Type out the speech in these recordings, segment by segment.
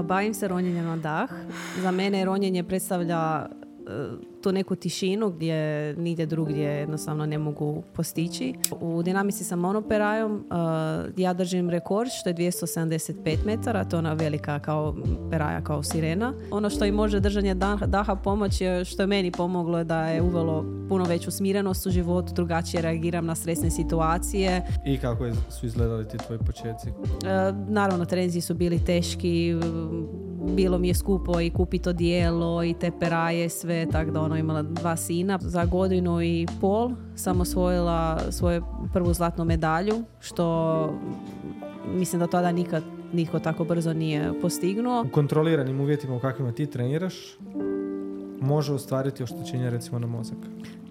Bavim se ronjenjem na dah. Za mene ronjenje predstavlja tu neku tišinu gdje nigdje drugdje jednostavno ne mogu postići. U dinamici sa monoperajom ja držim rekord što je 275 metara, to je ona velika kao peraja, kao sirena. Ono što i može držanje daha pomoći je, što je meni pomoglo, je da je uvelo puno veću smirenost u životu, drugačije reagiram na stresne situacije. I kako su izgledali ti tvoji početci? Naravno, treninzi su bili teški, bilo mi je skupo i kupiti odijelo i te peraje, sve, tako da imala 2 sina. Za 1.5 godina sam osvojila svoju prvu zlatnu medalju, što mislim da tada nikad nitko tako brzo nije postignuo. U kontroliranim uvjetima u kakvima ti treniraš može ostvariti oštećenje recimo na mozak?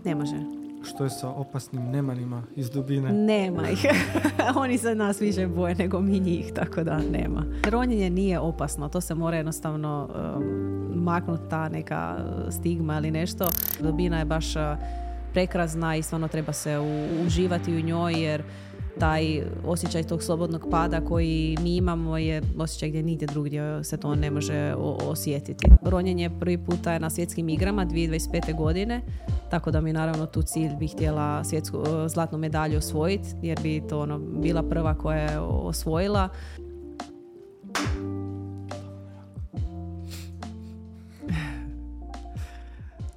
Ne može. Što je sa opasnim nemanima iz dubine? Nema ih. Oni se nas više boje nego mi njih, tako da nema. Ronjenje nije opasno, to se mora jednostavno maknuti ta neka stigma ili nešto. Dubina je baš prekrasna i stvarno treba se uživati u njoj, jer taj osjećaj tog slobodnog pada koji mi imamo je osjećaj gdje nigdje drugdje se to ne može osjetiti. Ronjenje prvi puta je na svjetskim igrama 2025. godine, tako da mi naravno tu cilj bih htjela svjetsku zlatnu medalju osvojiti, jer bi to bila prva koja je osvojila.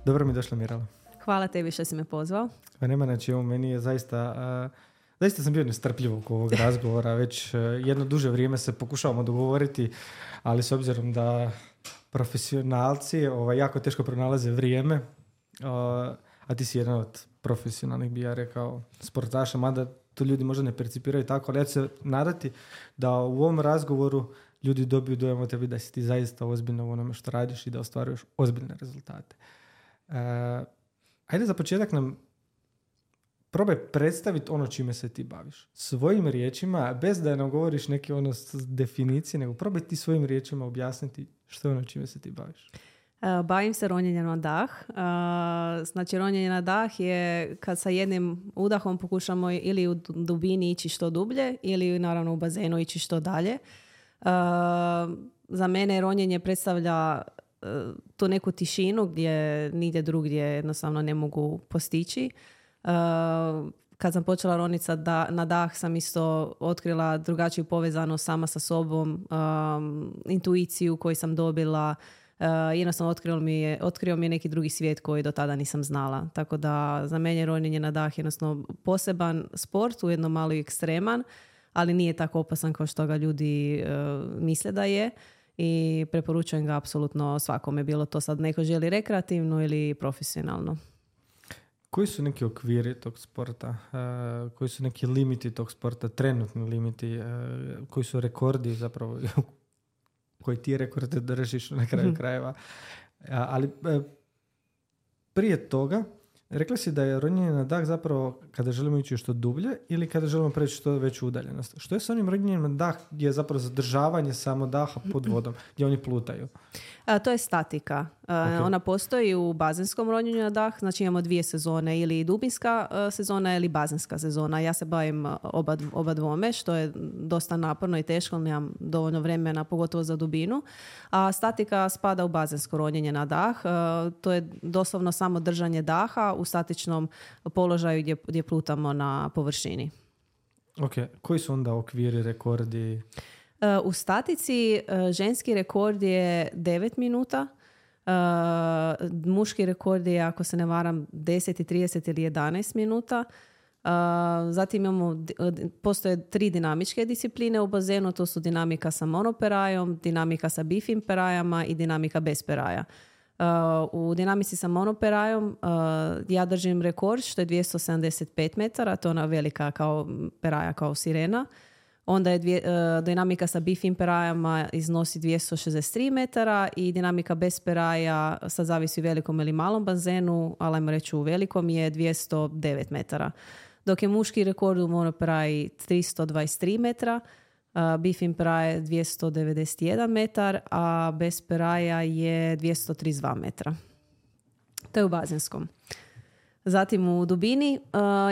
Dobro mi došla, Mirela. Hvala tebi što si me pozvao. Pa nema, znači ovo meni je zaista sam bio nestrpljiv oko ovog razgovora. Već jedno duže vrijeme se pokušavamo dogovoriti, ali s obzirom da profesionalci jako teško pronalaze vrijeme, a ti si jedan od profesionalnih, bi ja rekao, sportaša, mada to ljudi možda ne percipiraju tako, ali ja ću se nadati da u ovom razgovoru ljudi dobiju dojam o tebi da si ti zaista ozbiljno u onome što radiš i da ostvaruješ ozbiljne rezultate. Ajde za početak nam probaj predstaviti ono čime se ti baviš. Svojim riječima, bez da nam govoriš neke definicije, nego probaj ti svojim riječima objasniti što je ono čime se ti baviš. Bavim se ronjenjem na dah. Znači, ronjenje na dah je kad sa jednim udahom pokušamo ili u dubini ići što dublje ili naravno u bazenu ići što dalje. Za mene ronjenje predstavlja tu neku tišinu gdje nigdje drugdje jednostavno ne mogu postići. Kad sam počela roniti na dah sam isto otkrila drugačiju povezanost sama sa sobom, intuiciju koju sam dobila. Jednostavno otkrio mi je neki drugi svijet koji do tada nisam znala. Tako da za mene ronjenje na dah je jednostavno poseban sport, ujedno malo i ekstreman, ali nije tako opasan kao što ga ljudi misle da je. I preporučujem ga apsolutno svakome, bilo to sad neko želi rekreativno ili profesionalno. Koji su neki okviri tog sporta? Koji su neki limiti tog sporta, trenutni limiti? Koji su rekordi zapravo? Koji ti rekorde držiš na kraju krajeva? Ali prije toga, rekla si da je ronjenje na dah zapravo kada želimo ići što dublje ili kada želimo preći što veću udaljenost. Što je s onim ronjenjem na dah gdje je zapravo zadržavanje samo daha pod vodom, gdje oni plutaju? To je statika. Okay. Ona postoji u bazenskom ronjenju na dah, znači imamo 2 sezone, ili dubinska sezona ili bazenska sezona. Ja se bavim oba dvome, što je dosta naporno i teško, nemam dovoljno vremena, pogotovo za dubinu. A statika spada u bazensko ronjenje na dah. To je doslovno samo držanje daha u statičnom položaju gdje plutamo na površini. Ok, koji su onda okviri, rekordi? U statici ženski rekord je 9 minuta, muški rekord je, ako se ne varam, 10, 30 ili 11 minuta. Zatim postoje 3 dinamičke discipline u bazenu, to su dinamika sa monoperajom, dinamika sa bifim perajama i dinamika bez peraja. U dinamici sa monoperajom ja držim rekord što je 275 metara, to je ona velika kao peraja, kao sirena. Onda je dinamika sa bifim perajama iznosi 263 metara i dinamika bez peraja, sad zavisi u velikom ili malom bazenu, ali ajmo reći u velikom, je 209 metara. Dok je muški rekord u monoperaji 323 metra, bifim peraja je 291 metar, a bez peraja je 232 metra. To je u bazenskom. Zatim u dubini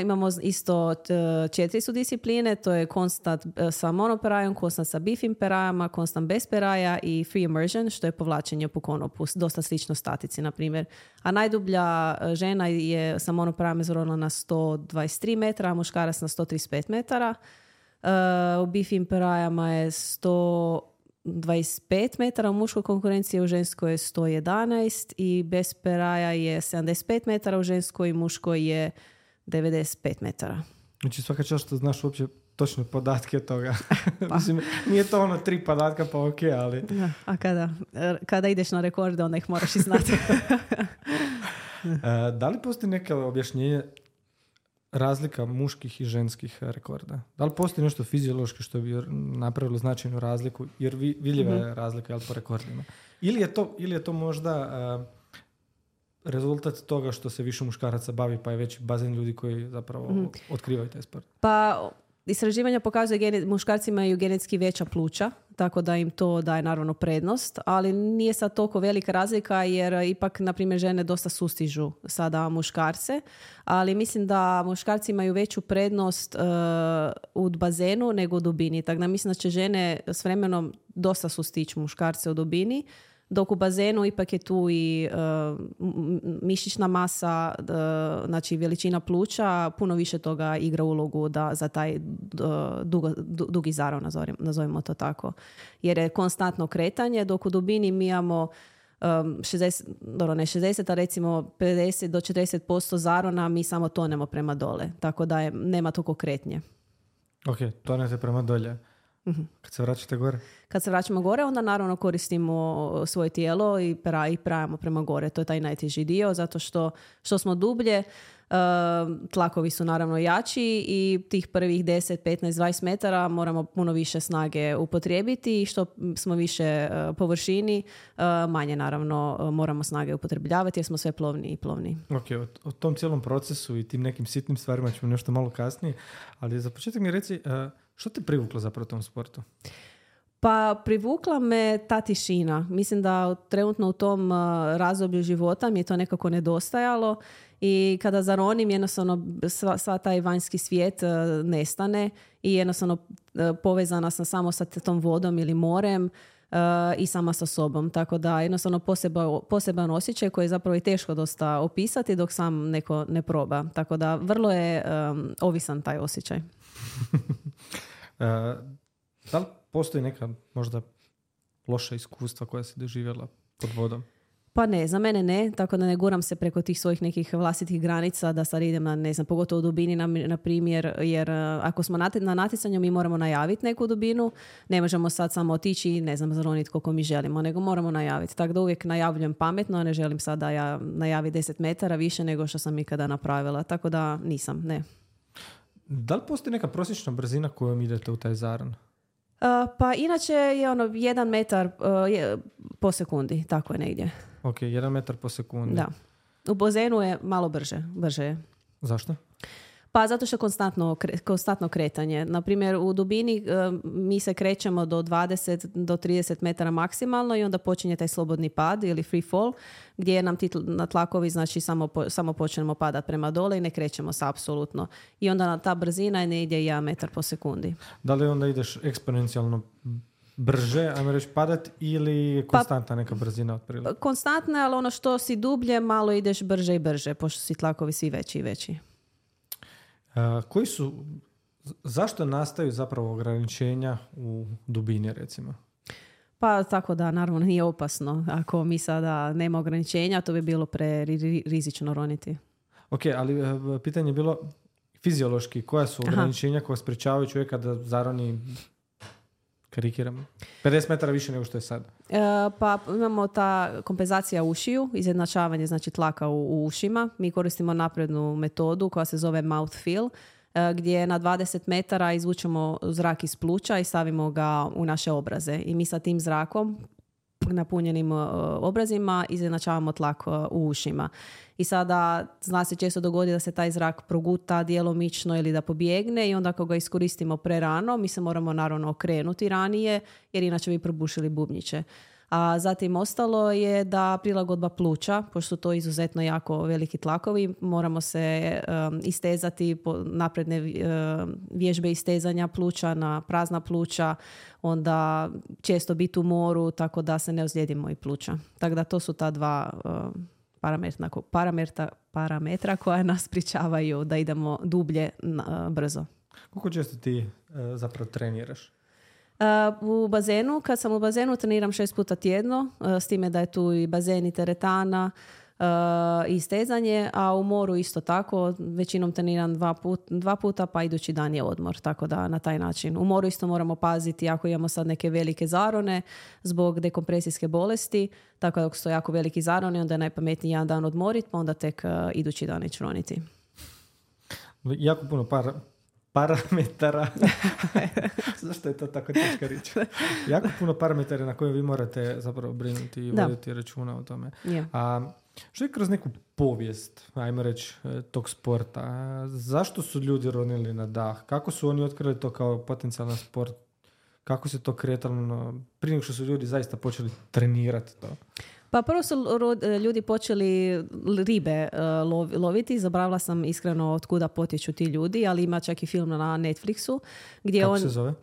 imamo isto 4 su discipline, to je konstant sa monoperajom, konstant sa bifim perajama, konstant bez peraja i free immersion, što je povlačenje po konopu, dosta slično statici, na primjer. A najdublja žena je sa monoperajom izrodila na 123 metra, a muškarac na 135 metara. U bifim perajama je 125 metara, u muškoj konkurenciji, u ženskoj je 111 i bez peraja je 75 metara, u ženskoj i muškoj je 95 metara. Znači svaka čast što znaš uopće točne podatke toga. Mislim, nije to 3 podatka pa ok, ali... Da, a kada ideš na rekorde, onda ih moraš i znati. Da li postoji neke objašnjenje razlika muških i ženskih rekorda? Da li postoji nešto fiziološki što bi napravilo značajnu razliku? Jer vidljiva je razlika po rekordima. Ili je to možda rezultat toga što se više muškaraca bavi, pa je veći bazen ljudi koji zapravo otkrivaju taj sport? Pa istraživanja pokazuje muškarci imaju genetski veća pluća, tako da im to daje naravno prednost, ali nije sad toliko velika razlika jer ipak, na primjer, žene dosta sustižu sada muškarce, ali mislim da muškarci imaju veću prednost u bazenu nego u dubini, tako da mislim da će žene s vremenom dosta sustići muškarce u dubini, dok u bazenu ipak je tu i mišićna masa, znači veličina pluća, puno više toga igra ulogu za taj dugi zarov, nazovimo to tako. Jer je konstantno kretanje, dok u dubini mi imamo 60, a recimo 50 do 40% zarona, mi samo tonemo prema dole, tako da nema toliko kretnje. Ok, tonete prema dolje. Kad se vraćate gore? Kad se vraćamo gore, onda naravno koristimo svoje tijelo i prajamo prema gore. To je taj najteži dio, zato što smo dublje, tlakovi su naravno jači i tih prvih 10, 15, 20 metara moramo puno više snage upotrijebiti i što smo više površini, manje naravno moramo snage upotrebljavati jer smo sve plovni i plovni. Ok, o tom cijelom procesu i tim nekim sitnim stvarima ćemo nešto malo kasnije, ali za početak mi reci, što te privuklo zapravo tom sportu? Pa privukla me ta tišina. Mislim da trenutno u tom razdoblju života mi je to nekako nedostajalo i kada zaronim jednostavno sva taj vanjski svijet nestane i jednostavno povezana sam samo sa tom vodom ili morem i sama sa sobom. Tako da jednostavno poseban osjećaj koji je zapravo i teško dosta opisati dok sam neko ne proba. Tako da vrlo je ovisan taj osjećaj. Da li postoji neka možda loša iskustva koja si doživjela pod vodom? Pa ne, za mene ne, tako da ne guram se preko tih svojih nekih vlastitih granica da sad idem na, ne znam, pogotovo u dubini na primjer, jer ako smo na natjecanju mi moramo najaviti neku dubinu, ne možemo sad samo otići i ne znam, zaroniti koliko mi želimo, nego moramo najaviti. Tako da uvijek najavljujem pametno, ne želim sad da ja najavi 10 metara više nego što sam ikada napravila, tako da nisam, ne. Da li postoji neka prosječna brzina kojom idete u taj zaron? Pa inače je 1 metar po sekundi, tako je negdje. Ok, 1 metar po sekundi. Da. U bazenu je malo brže je. Zašto? Pa zato što je konstantno kretanje. Naprimjer, u dubini mi se krećemo do 20 do 30 metara maksimalno i onda počinje taj slobodni pad ili free fall, gdje nam ti na tlakovi znači samo počnemo padati prema dole i ne krećemo se apsolutno. I onda ta brzina ne ide 1 metar po sekundi. Da li onda ideš eksponencijalno brže, ajmo reći, padat ili konstantna neka brzina otprilike? Konstantna, ali ono što si dublje, malo ideš brže i brže, pošto si tlakovi svi veći i veći. Zašto nastaju zapravo ograničenja u dubini, recimo? Pa tako da, naravno, nije opasno. Ako mi sada nema ograničenja, to bi bilo rizično roniti. Ok, ali pitanje je bilo fiziološki. Koja su ograničenja koja sprečavaju čovjeka da zaroni, karikiram, 50 metara više nego što je sad? Pa imamo ta kompenzacija ušiju, izjednačavanje znači tlaka u ušima. Mi koristimo naprednu metodu koja se zove mouth fill, gdje na 20 metara izvučemo zrak iz pluća i stavimo ga u naše obraze. I mi sa tim zrakom, napunjenim obrazima, izjednačavamo tlak u ušima. I sada zna se često dogodi da se taj zrak proguta djelomično ili da pobjegne i onda ako ga iskoristimo prerano, mi se moramo naravno okrenuti ranije jer inače bi probušili bubnjiće. A zatim ostalo je da prilagodba pluća, pošto su to izuzetno jako veliki tlakovi, moramo se istezati napredne vježbe istezanja pluća na prazna pluća, onda često biti u moru tako da se ne ozlijedimo i pluća. Tako da to su ta dva parametra koja nas sprječavaju da idemo dublje brzo. Koliko često ti zapravo treniraš? U bazenu, kad sam u bazenu treniram 6 puta tjedno, s time da je tu i bazen i teretana i stezanje, a u moru isto tako, većinom treniram 2 puta, pa idući dan je odmor, tako da na taj način. U moru isto moramo paziti ako imamo sad neke velike zarone zbog dekompresijske bolesti, tako da ako su jako veliki zaroni, onda je najpametniji jedan dan odmoriti, pa onda tek idući dan ići roniti. Jako puno parametara. Zašto je to tako teška riječ? Jako puno parametara na koje vi morate zapravo brinuti i voditi računa o tome. Yeah. A što je kroz neku povijest, ajmo reći, tog sporta? Zašto su ljudi ronili na dah? Kako su oni otkrili to kao potencijalan sport? Kako se to kretalo prije nego što su ljudi zaista počeli trenirati to? Pa prvo su ljudi počeli ribe loviti. Zaboravila sam iskreno od kuda potječu ti ljudi, ali ima čak i film na Netflixu. Gdje kako se zove?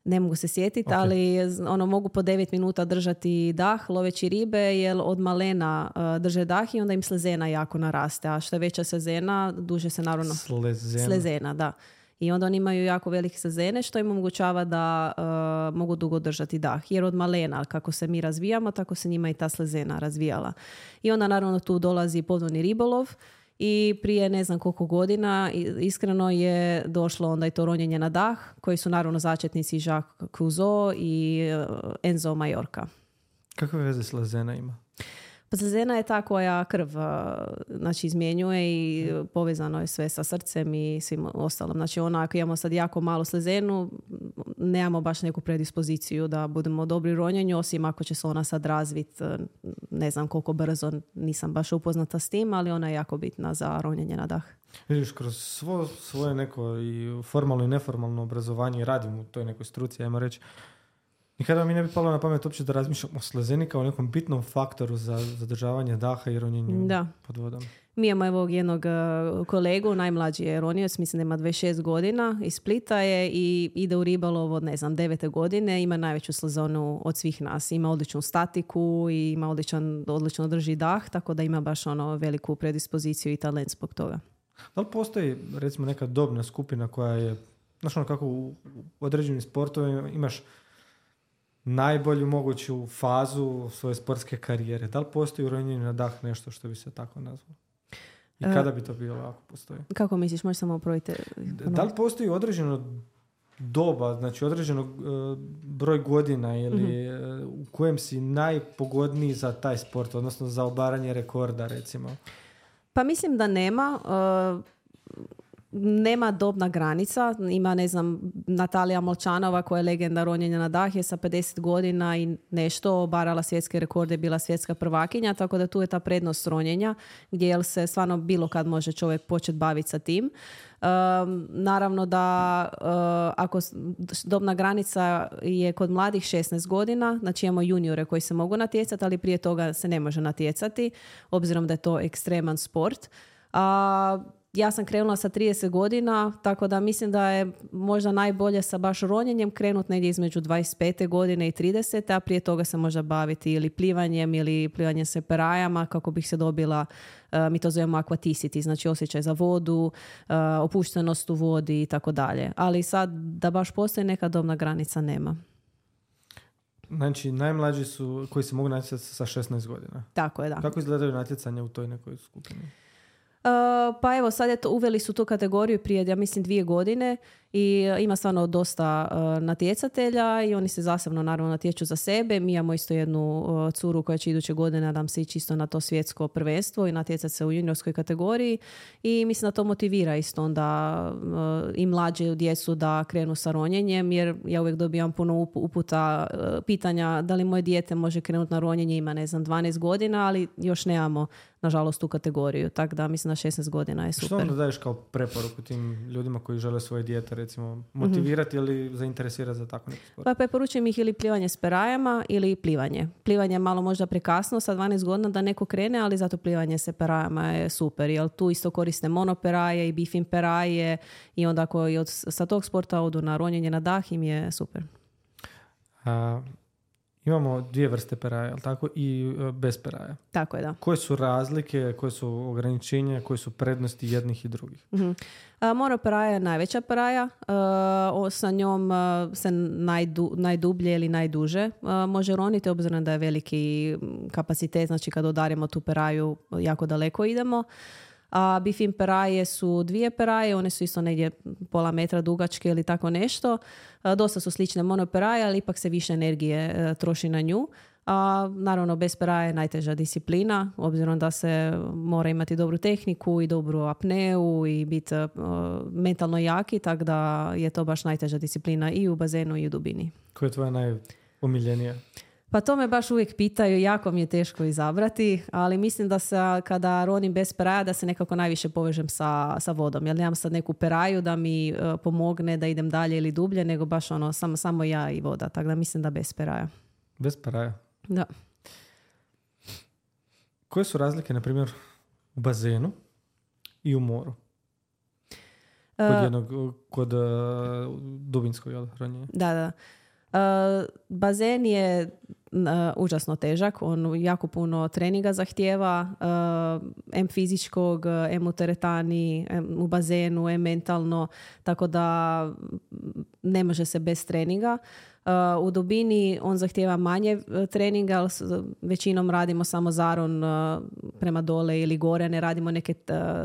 Ne mogu se sjetiti, Okay. ali mogu po 9 minuta držati dah loveći ribe, jer od malena drže dah i onda im slezena jako naraste. A što je veća slezena, duže se naravno... Slezena, da. I onda oni imaju jako velike slezene što im omogućava da mogu dugo držati dah. Jer od malena, kako se mi razvijamo, tako se njima i ta slezena razvijala. I onda naravno tu dolazi podvodni ribolov i prije ne znam koliko godina iskreno je došlo onda i to ronjenje na dah, koji su naravno začetnici Jacques Cousteau i Enzo Maiorca. Kakve veze slezena ima? Pa slezena je ta koja krv izmjenjuje i povezano je sve sa srcem i svim ostalom. Znači ako imamo sad jako malu slezenu, nemamo baš neku predispoziciju da budemo dobri u ronjenju, osim ako će se ona sad razviti, ne znam koliko brzo, nisam baš upoznata s tim, ali ona je jako bitna za ronjenje na dah. Vidiš, kroz svoje neko i formalno i neformalno obrazovanje radim u toj nekoj struci, ajmo reći, nikada mi ne bi palo na pamet uopće da razmišljam o slezeni kao nekom bitnom faktoru za zadržavanje daha i ronjenju pod vodom. Mi imamo evo jednog kolegu, najmlađi je ronioc, mislim da ima 26 godina, iz Splita je i ide u ribolov od 9. godine, ima najveću slezonu od svih nas. Ima odličnu statiku i ima odlično drži dah, tako da ima baš veliku predispoziciju i talent zbog toga. Da li postoji recimo neka dobna skupina koja je, znaš kako u određenim sportovima imaš najbolju moguću fazu svoje sportske karijere? Da li postoji u ronjenju na dah nešto što bi se tako nazvalo? I kada bi to bilo ako postoji? Kako misliš? Možeš samo uprojiti? Da li postoji određeno doba, znači određeno broj godina ili u kojem si najpogodniji za taj sport, odnosno za obaranje rekorda recimo? Pa mislim da nema. Nema dobna granica. Ima, ne znam, Natalija Molčanova koja je legenda ronjenja na dah, je sa 50 godina i nešto obarala svjetske rekorde, bila svjetska prvakinja, tako da tu je ta prednost ronjenja gdje se stvarno bilo kad može čovjek početi baviti sa tim. Naravno da ako dobna granica je kod mladih 16 godina, znači imamo juniore koji se mogu natjecati, ali prije toga se ne može natjecati, obzirom da je to ekstreman sport. Ja sam krenula sa 30 godina, tako da mislim da je možda najbolje sa baš ronjenjem krenuti negdje između 25. godine i 30. a prije toga se možda baviti ili plivanjem ili plivanjem se perajama kako bih se dobila, mi to zovemo aquaticity, znači osjećaj za vodu, opuštenost u vodi i tako dalje. Ali sad da baš postoji neka dobna granica nema. Znači, najmlađi su koji se mogu natjecati sa 16 godina. Tako je, da. Kako izgledaju natjecanja u toj nekoj skupini? Pa evo, sad uveli su tu kategoriju prije, ja mislim, 2 godine i ima stvarno dosta natjecatelja i oni se zasebno naravno natječu za sebe. Mi imamo isto jednu curu koja će iduće godine, nadam se, ići isto na to svjetsko prvenstvo i natjecati se u juniorskoj kategoriji i mislim da to motivira isto onda i mlađe djecu da krenu sa ronjenjem, jer ja uvijek dobijam puno uputa, pitanja da li moje dijete može krenuti na ronjenje, ima 12 godina, ali još nemamo nažalost tu kategoriju, tako da mislim da 16 godina je super. Što onda daješ kao preporuku tim ljudima koji žele svoje dijete recimo motivirati ili zainteresirati za tako neki sport? Pa preporučujem ih ili plivanje s perajama ili plivanje. Plivanje je malo možda prekasno, sa 12 godina da neko krene, ali zato plivanje s perajama je super, jer tu isto koriste monoperaje i bifin peraje i onda ako i sa tog sporta odu na ronjenje na dah im je super. Imamo 2 vrste peraja, jel tako? I bez peraja. Tako je, da. Koje su razlike, koje su ograničenja, koje su prednosti jednih i drugih? Monoperaja je najveća peraja. Sa njom se najdublje ili najduže može roniti, obzirom da je veliki kapacitet, znači kad udarimo tu peraju jako daleko idemo. A bifin peraje su 2 peraje, one su isto negdje pola metra dugačke ili tako nešto. Dosta su slične monoperaje, ali ipak se više energije troši na nju. A naravno bez peraje je najteža disciplina, obzirom da se mora imati dobru tehniku i dobru apneu i biti mentalno jaki, tako da je to baš najteža disciplina i u bazenu i u dubini. Koja je tvoja najomiljenija? Pa to me baš uvijek pitaju, jako mi je teško izabrati, ali mislim da se kada ronim bez peraja da se nekako najviše povežem sa vodom. Jer nemam sad neku peraju da mi pomogne da idem dalje ili dublje, nego baš samo ja i voda. Tako da mislim da bez peraja. Bez peraja? Da. Koje su razlike, na primjer, u bazenu i u moru? Kod dubinskog ronjenja? Da. Bazen je užasno težak, on jako puno treninga zahtijeva, em fizičkog, em u teretani, em u bazenu, em mentalno, tako da ne može se bez treninga. U dubini on zahtijeva manje treninga, ali većinom radimo samo zaron prema dole ili gore, ne radimo neke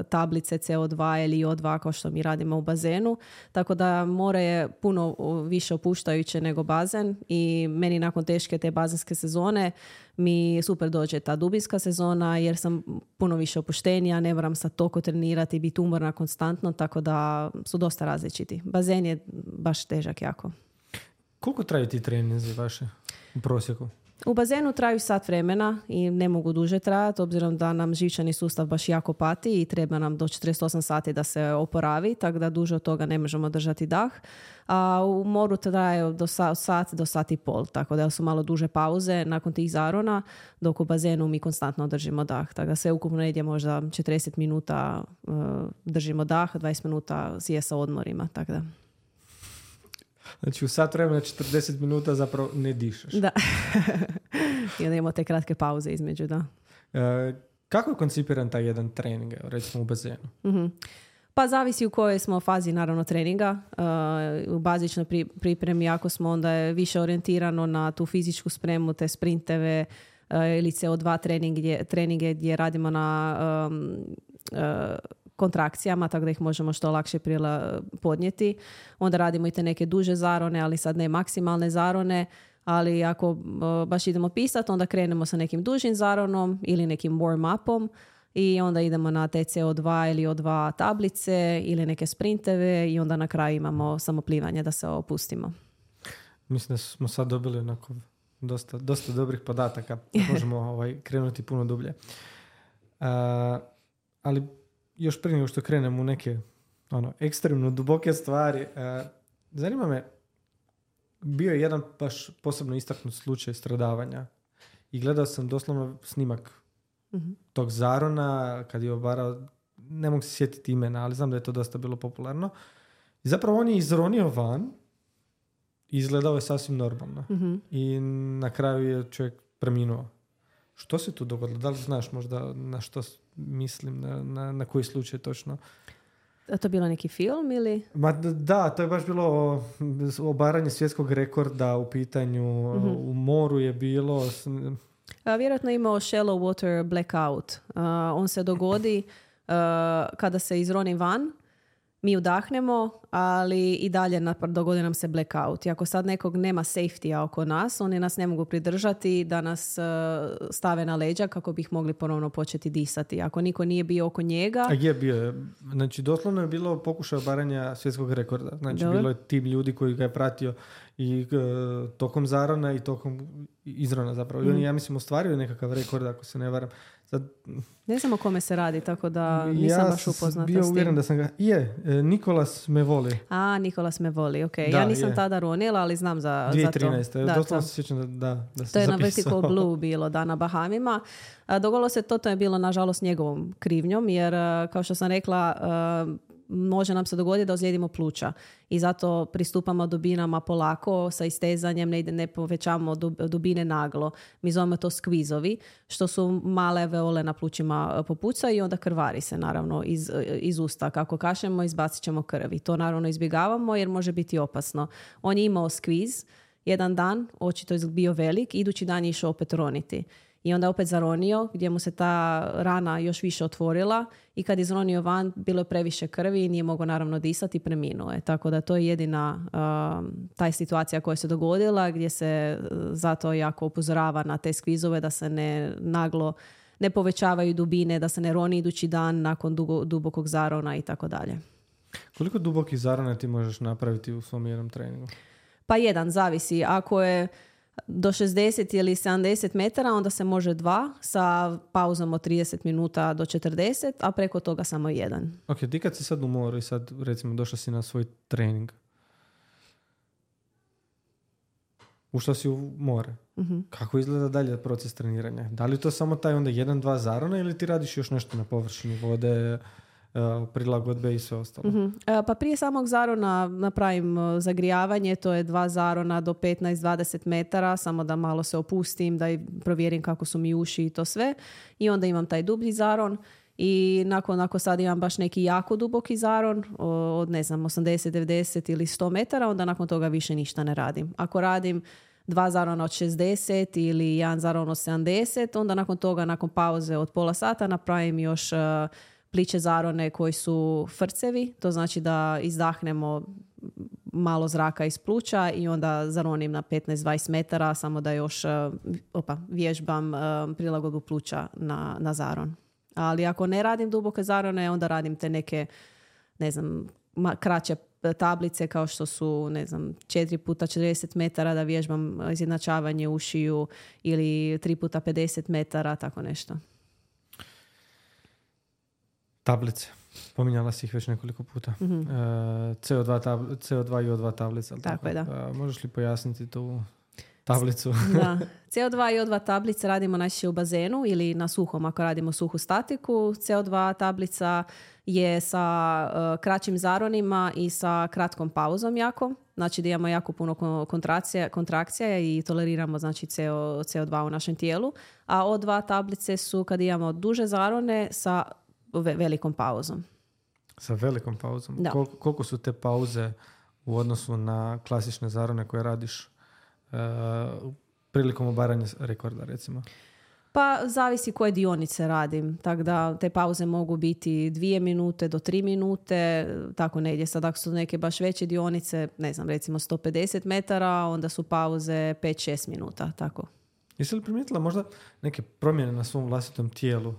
tablice CO2 ili O2 kao što mi radimo u bazenu, tako da more je puno više opuštajuće nego bazen i meni nakon teške te bazenske sezone mi super dođe ta dubinska sezona jer sam puno više opuštenija, ne moram sad toliko trenirati i biti umorna konstantno, tako da su dosta različiti. Bazen je baš težak jako. Koliko traju ti treninzi vaše u prosjeku? U bazenu traju sat vremena i ne mogu duže trajati, obzirom da nam živčani sustav baš jako pati i treba nam do 48 sati da se oporavi, tako da duže od toga ne možemo držati dah. A u moru traje od sat do sat i pol, tako da su malo duže pauze nakon tih zarona, dok u bazenu mi konstantno držimo dah. Tako da sve ukupno negdje možda 40 minuta držimo dah, 20 minuta je sa odmorima, tako da. Znači u sat vremena 40 minuta zapravo ne dišeš. Da. I onda imamo te kratke pauze između, da. Kako je koncipiran taj jedan trening, recimo u bazenu? Pa zavisi u kojoj smo fazi naravno treninga. U bazičnoj pripremi ako smo onda je više orijentirano na tu fizičku spremu, te sprinteve ili CO2 treninge gdje radimo na kontrakcijama, tako da ih možemo što lakše podnijeti. Onda radimo i te neke duže zarone, ali sad ne maksimalne zarone, ali ako baš idemo pisati, onda krenemo sa nekim dužim zaronom ili nekim warm-upom i onda idemo na te CO2 ili O2 tablice ili neke sprinteve i onda na kraju imamo samo plivanje da se opustimo. Mislim da smo sad dobili onako dosta dobrih podataka. Možemo krenuti puno dublje. Ali još prije nego što krenemo u neke ekstremno duboke stvari, zanima me, bio je jedan baš posebno istaknut slučaj stradavanja i gledao sam doslovno snimak tog zarona kad je obarao, ne mogu se sjetiti imena, ali znam da je to dosta bilo popularno. I zapravo on je izronio van i izgledao je sasvim normalno. I na kraju je čovjek preminuo. Što se tu dogodilo? Da li znaš možda na što mislim, na koji slučaj točno? A to bilo neki film ili? Da, to je baš bilo obaranje svjetskog rekorda u pitanju. U moru je bilo. Vjerojatno je imao shallow water blackout. On se dogodi kada se izroni van, mi udahnemo, ali i dalje dogodi nam se blackout. I ako sad nekog nema safety-a oko nas, oni nas ne mogu pridržati da nas stave na leđa kako bi ih mogli ponovno početi disati. Ako niko nije bio oko njega... A je bio. Znači, doslovno je bilo pokušaj obaranja svjetskog rekorda. Znači, bilo je tim ljudi koji ga je pratio i tokom zarona i tokom izrona zapravo. I on, ja mislim, ostvario nekakav rekord, ako se ne varam. Sad, ne znam o kome se radi, tako da nisam baš upoznata s tim. Ja sam bio uvjeren da sam ga... Nikolas me voli. Nikolas me voli, ok. Da, ja nisam tada ronila, ali znam za 2013. to. 2013. Doslovno se sjećam da sam to je zapisao. na Vertical Blue bilo, da, na Bahamima. Dogodilo se to je bilo, nažalost, njegovom krivnjom, jer, kao što sam rekla, može nam se dogoditi da ozlijedimo pluća i zato pristupamo dubinama polako sa istezanjem, ne povećavamo dubine naglo. Mi zovemo to skvizovi, što su male alveole na plućima popucaju i onda krvari se naravno iz usta. Kako kašljemo, izbacit ćemo krv i to naravno izbjegavamo jer može biti opasno. On je imao skviz jedan dan, očito je bio velik, idući dan je išao opet roniti. I onda opet zaronio, gdje mu se ta rana još više otvorila i kad je izronio van, bilo je previše krvi i nije mogao naravno disati i preminuo je. Tako da to je jedina taj situacija koja se dogodila, gdje se zato jako upozorava na te skvizove da se ne povećavaju dubine, da se ne roni idući dan nakon dubokog zarona i tako dalje. Koliko dubokih zarona ti možeš napraviti u svom jednom treningu? Pa jedan, zavisi. Ako je do 60 ili 70 metara, onda se može 2 sa pauzom od 30 minuta do 40, a preko toga samo 1. Ok, ti kad si sad u moru i sad recimo došla si na svoj trening, ušla si u more, kako izgleda dalje proces treniranja? Da li to samo taj onda 1-2 zarona ili ti radiš još nešto na površini vode, prilagodbe i sve ostalo? Pa prije samog zarona napravim zagrijavanje, to je 2 zarona do 15-20 metara, samo da malo se opustim, da provjerim kako su mi uši i to sve. I onda imam taj dublji zaron i ako sad imam baš neki jako duboki zaron od 80, 90 ili 100 metara, onda nakon toga više ništa ne radim. Ako radim 2 zarona od 60 ili 1 zaron od 70, onda nakon toga, nakon pauze od pola sata, napravim još pliće zarone koji su frcevi, to znači da izdahnemo malo zraka iz pluća i onda zaronim na 15-20 metara, samo da još vježbam prilagodbu pluća na zaron. Ali ako ne radim duboke zarone, onda radim te neke, ne znam, kraće tablice kao što su, ne znam, 4 puta 40 metara da vježbam izjednačavanje ušiju ili 3 puta 50 metara, tako nešto. Tablice. Pominjala si ih već nekoliko puta. CO2 i O2 tablica. Tako je, da. Možeš li pojasniti tu tablicu? Da. CO2 i O2 tablice radimo najčešće u bazenu ili na suhom ako radimo suhu statiku. CO2 tablica je sa kraćim zaronima i sa kratkom pauzom jako. Znači da imamo jako puno kontrakcija i toleriramo znači CO2 u našem tijelu. A O2 tablice su kad imamo duže zarone sa velikom pauzom. Sa velikom pauzom? Da. Koliko su te pauze u odnosu na klasične zarone koje radiš prilikom obaranja rekorda, recimo? Pa zavisi koje dionice radim. Tako da te pauze mogu biti 2 minute do 3 minute, tako negdje. Sad ako su neke baš veće dionice, ne znam, recimo 150 metara, onda su pauze 5-6 minuta, tako. Jesi li primijetila možda neke promjene na svom vlastitom tijelu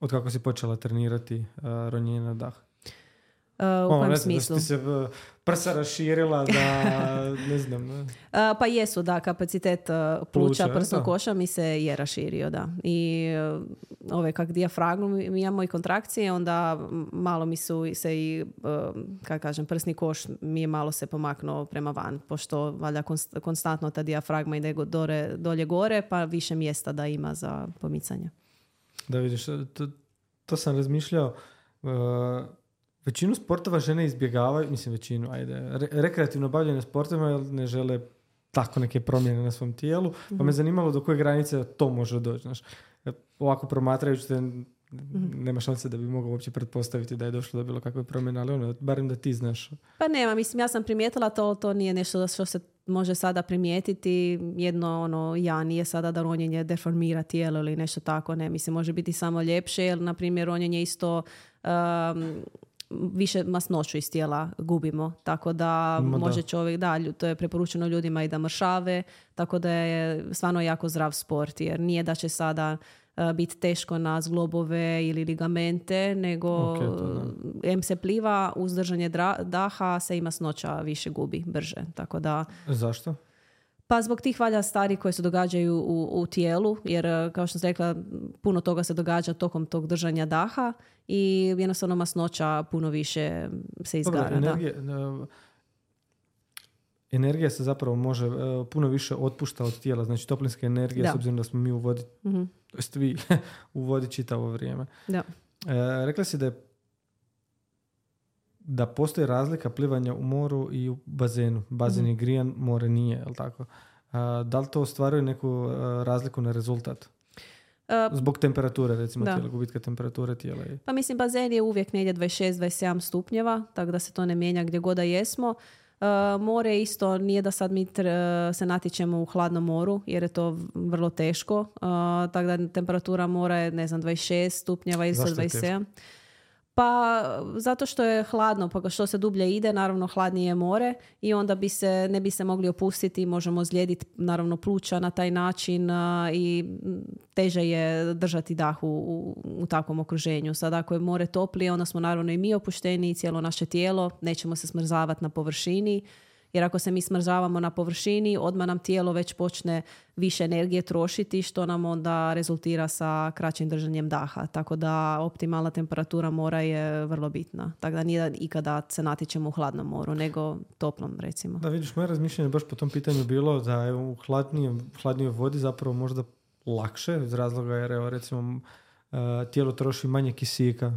od kako si počela trenirati ronjenje na dah? U kojem smislu? Da si se prsa raširila, da ne znam. Pa jesu, da, kapacitet pluća prsnog koša mi se je raširio, da. I ove kak dijafragmu imamo i kontrakcije, onda malo mi su se i, kako kažem, prsni koš mi je malo se pomaknuo prema van, pošto valjda konstantno ta dijafragma ide dolje gore, pa više mjesta da ima za pomicanje. Da vidiš, to sam razmišljao. Većinu sportova žene izbjegavaju, mislim većinu, rekreativno bavljene sportovima jer ne žele tako neke promjene na svom tijelu, pa me zanimalo do koje granice to može doći. Znaš. Ovako promatrajući te, nema šanse da bi mogao uopće pretpostaviti da je došlo do bilo kakve promjene, ali barem da ti znaš. Pa nema, mislim, ja sam primijetila to nije nešto što se može sada primijetiti. Jedno, nije sada da ronjenje deformira tijelo ili nešto tako, ne. Mislim, može biti samo ljepše, jer, na primjer, ronjenje isto više masnoću iz tijela gubimo, tako da može čovjek, to je preporučeno ljudima i da mršave, tako da je stvarno jako zdrav sport, jer nije da će sada biti teško na zglobove ili ligamente, nego em se pliva, uz držanje daha se i masnoća više gubi brže. Tako da... Zašto? Pa zbog tih valjda stvari koje se događaju u tijelu, jer kao što sam rekla, puno toga se događa tokom tog držanja daha i jednostavno masnoća puno više se izgara. Energija se zapravo može puno više otpušta od tijela, znači toplinska energija, s obzirom da smo mi u vodi, vi u vodi čitavo vrijeme. Da. Rekla si da postoji razlika plivanja u moru i u bazenu. Bazen je grijan, more nije, je li tako? Da li to ostvaruje neku razliku na rezultat? Zbog temperature, recimo, tijela, gubitka temperature tijela. Pa mislim, bazen je uvijek negdje 26-27 stupnjeva, tako da se to ne mijenja gdje god da jesmo. More isto nije da sad mi se natječemo u hladnom moru, jer je to vrlo teško. Tako da temperatura mora je, 26 stupnjeva ili 27. Pa zato što je hladno, pa što se dublje ide, naravno hladnije je more i onda ne bi se mogli opustiti, možemo ozlijediti naravno pluća na taj način i teže je držati dah u takvom okruženju. Sad ako je more toplije, onda smo naravno i mi opušteni i cijelo naše tijelo, nećemo se smrzavati na površini. Jer ako se mi smrzavamo na površini, odmah nam tijelo već počne više energije trošiti, što nam onda rezultira sa kraćim držanjem daha. Tako da optimalna temperatura mora je vrlo bitna. Tako da nije ikada se natječemo u hladnom moru, nego toplom, recimo. Da, vidiš, moje razmišljanje baš po tom pitanju bilo da je u hladnijoj vodi zapravo možda lakše, iz razloga jer recimo tijelo troši manje kisika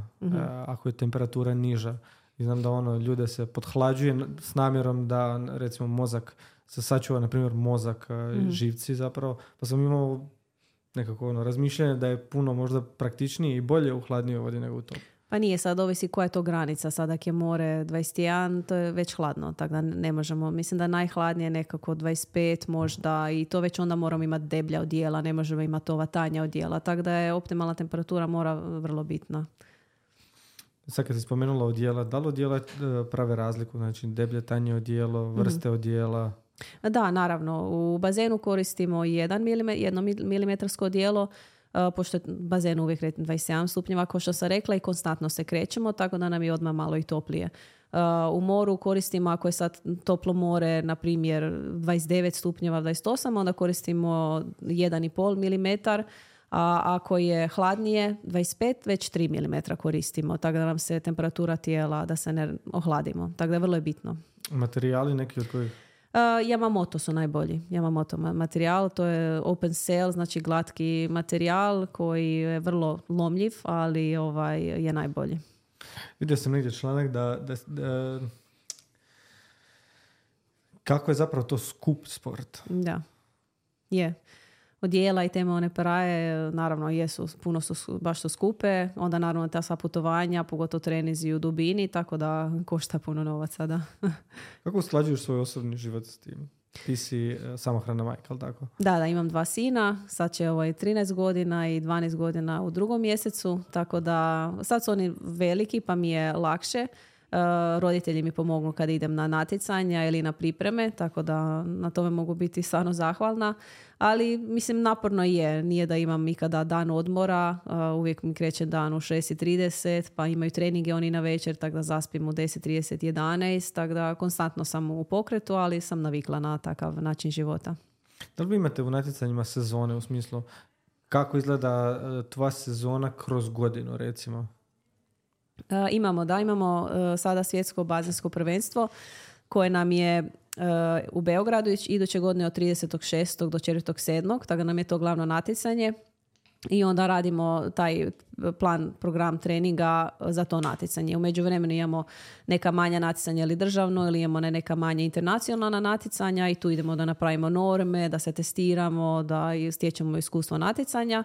ako je temperatura niža. I znam da ljude se podhlađuje s namjerom da recimo mozak se sačuva, na primjer mozak, živci zapravo. Pa sam imao nekako razmišljanje da je puno možda praktičnije i bolje u hladnijoj vodi nego u tom. Pa nije, sad ovisi koja je to granica. Sad ako je more 21, to je već hladno, tako da ne možemo. Mislim da najhladnije nekako 25 možda i to već onda moramo imati deblja odijela, ne možemo imati ova tanja odijela. Tako da je optimalna temperatura mora vrlo bitna. Sad kad si spomenula odijela, da li odijela prave razliku? Znači deblje, tanje odijelo, vrste odijela? Da, naravno. U bazenu koristimo 1 milimetarsko odijelo, pošto je bazen uvijek 27 stupnjeva, kao što sam rekla, i konstantno se krećemo, tako da nam je odmah malo i toplije. U moru koristimo, ako je sad toplo more, na primjer 29 stupnjeva, 28, onda koristimo 1,5 milimetar, a ako je hladnije 25, već 3 mm koristimo, tako da nam se temperatura tijela, da se ne ohladimo. Tako da vrlo je bitno. Materijali neki od kojih? Yamamoto su najbolji. Yamamoto materijal, to je open cell, znači glatki materijal koji je vrlo lomljiv, ali je najbolji. Vidio sam negdje članak da kako je zapravo to skup sport. Da, je. Odijela i teme one paraje, naravno jesu, puno su, baš su skupe, onda naravno ta sva putovanja, pogotovo trenizi u dubini, tako da košta puno novaca, da. Kako usklađuješ svoj osobni život s tim? Ti si samohrana majka, ali tako? Da, imam 2 sina, sad će 13 godina i 12 godina u 2. mjesecu, tako da sad su oni veliki pa mi je lakše. Roditelji mi pomognu kad idem na natjecanja ili na pripreme, tako da na tome mogu biti stvarno zahvalna, ali mislim naporno nije da imam ikada dan odmora, uvijek mi kreće dan u 6:30, pa imaju treninge oni na večer, tako da zaspim u 10:30, 11, tako da konstantno sam u pokretu, ali sam navikla na takav način života. Da li vi imate u natjecanjima sezone, u smislu kako izgleda tvoja sezona kroz godinu, recimo? Imamo sada svjetsko bazensko prvenstvo koje nam je u Beogradu iduće godine od 30.6. do 4.7. Tako da nam je to glavno natjecanje i onda radimo taj program treninga za to natjecanje. U međuvremenu imamo neka manja natjecanja ili državno ili imamo neka manja internacionalna natjecanja i tu idemo da napravimo norme, da se testiramo, da stječemo iskustvo natjecanja.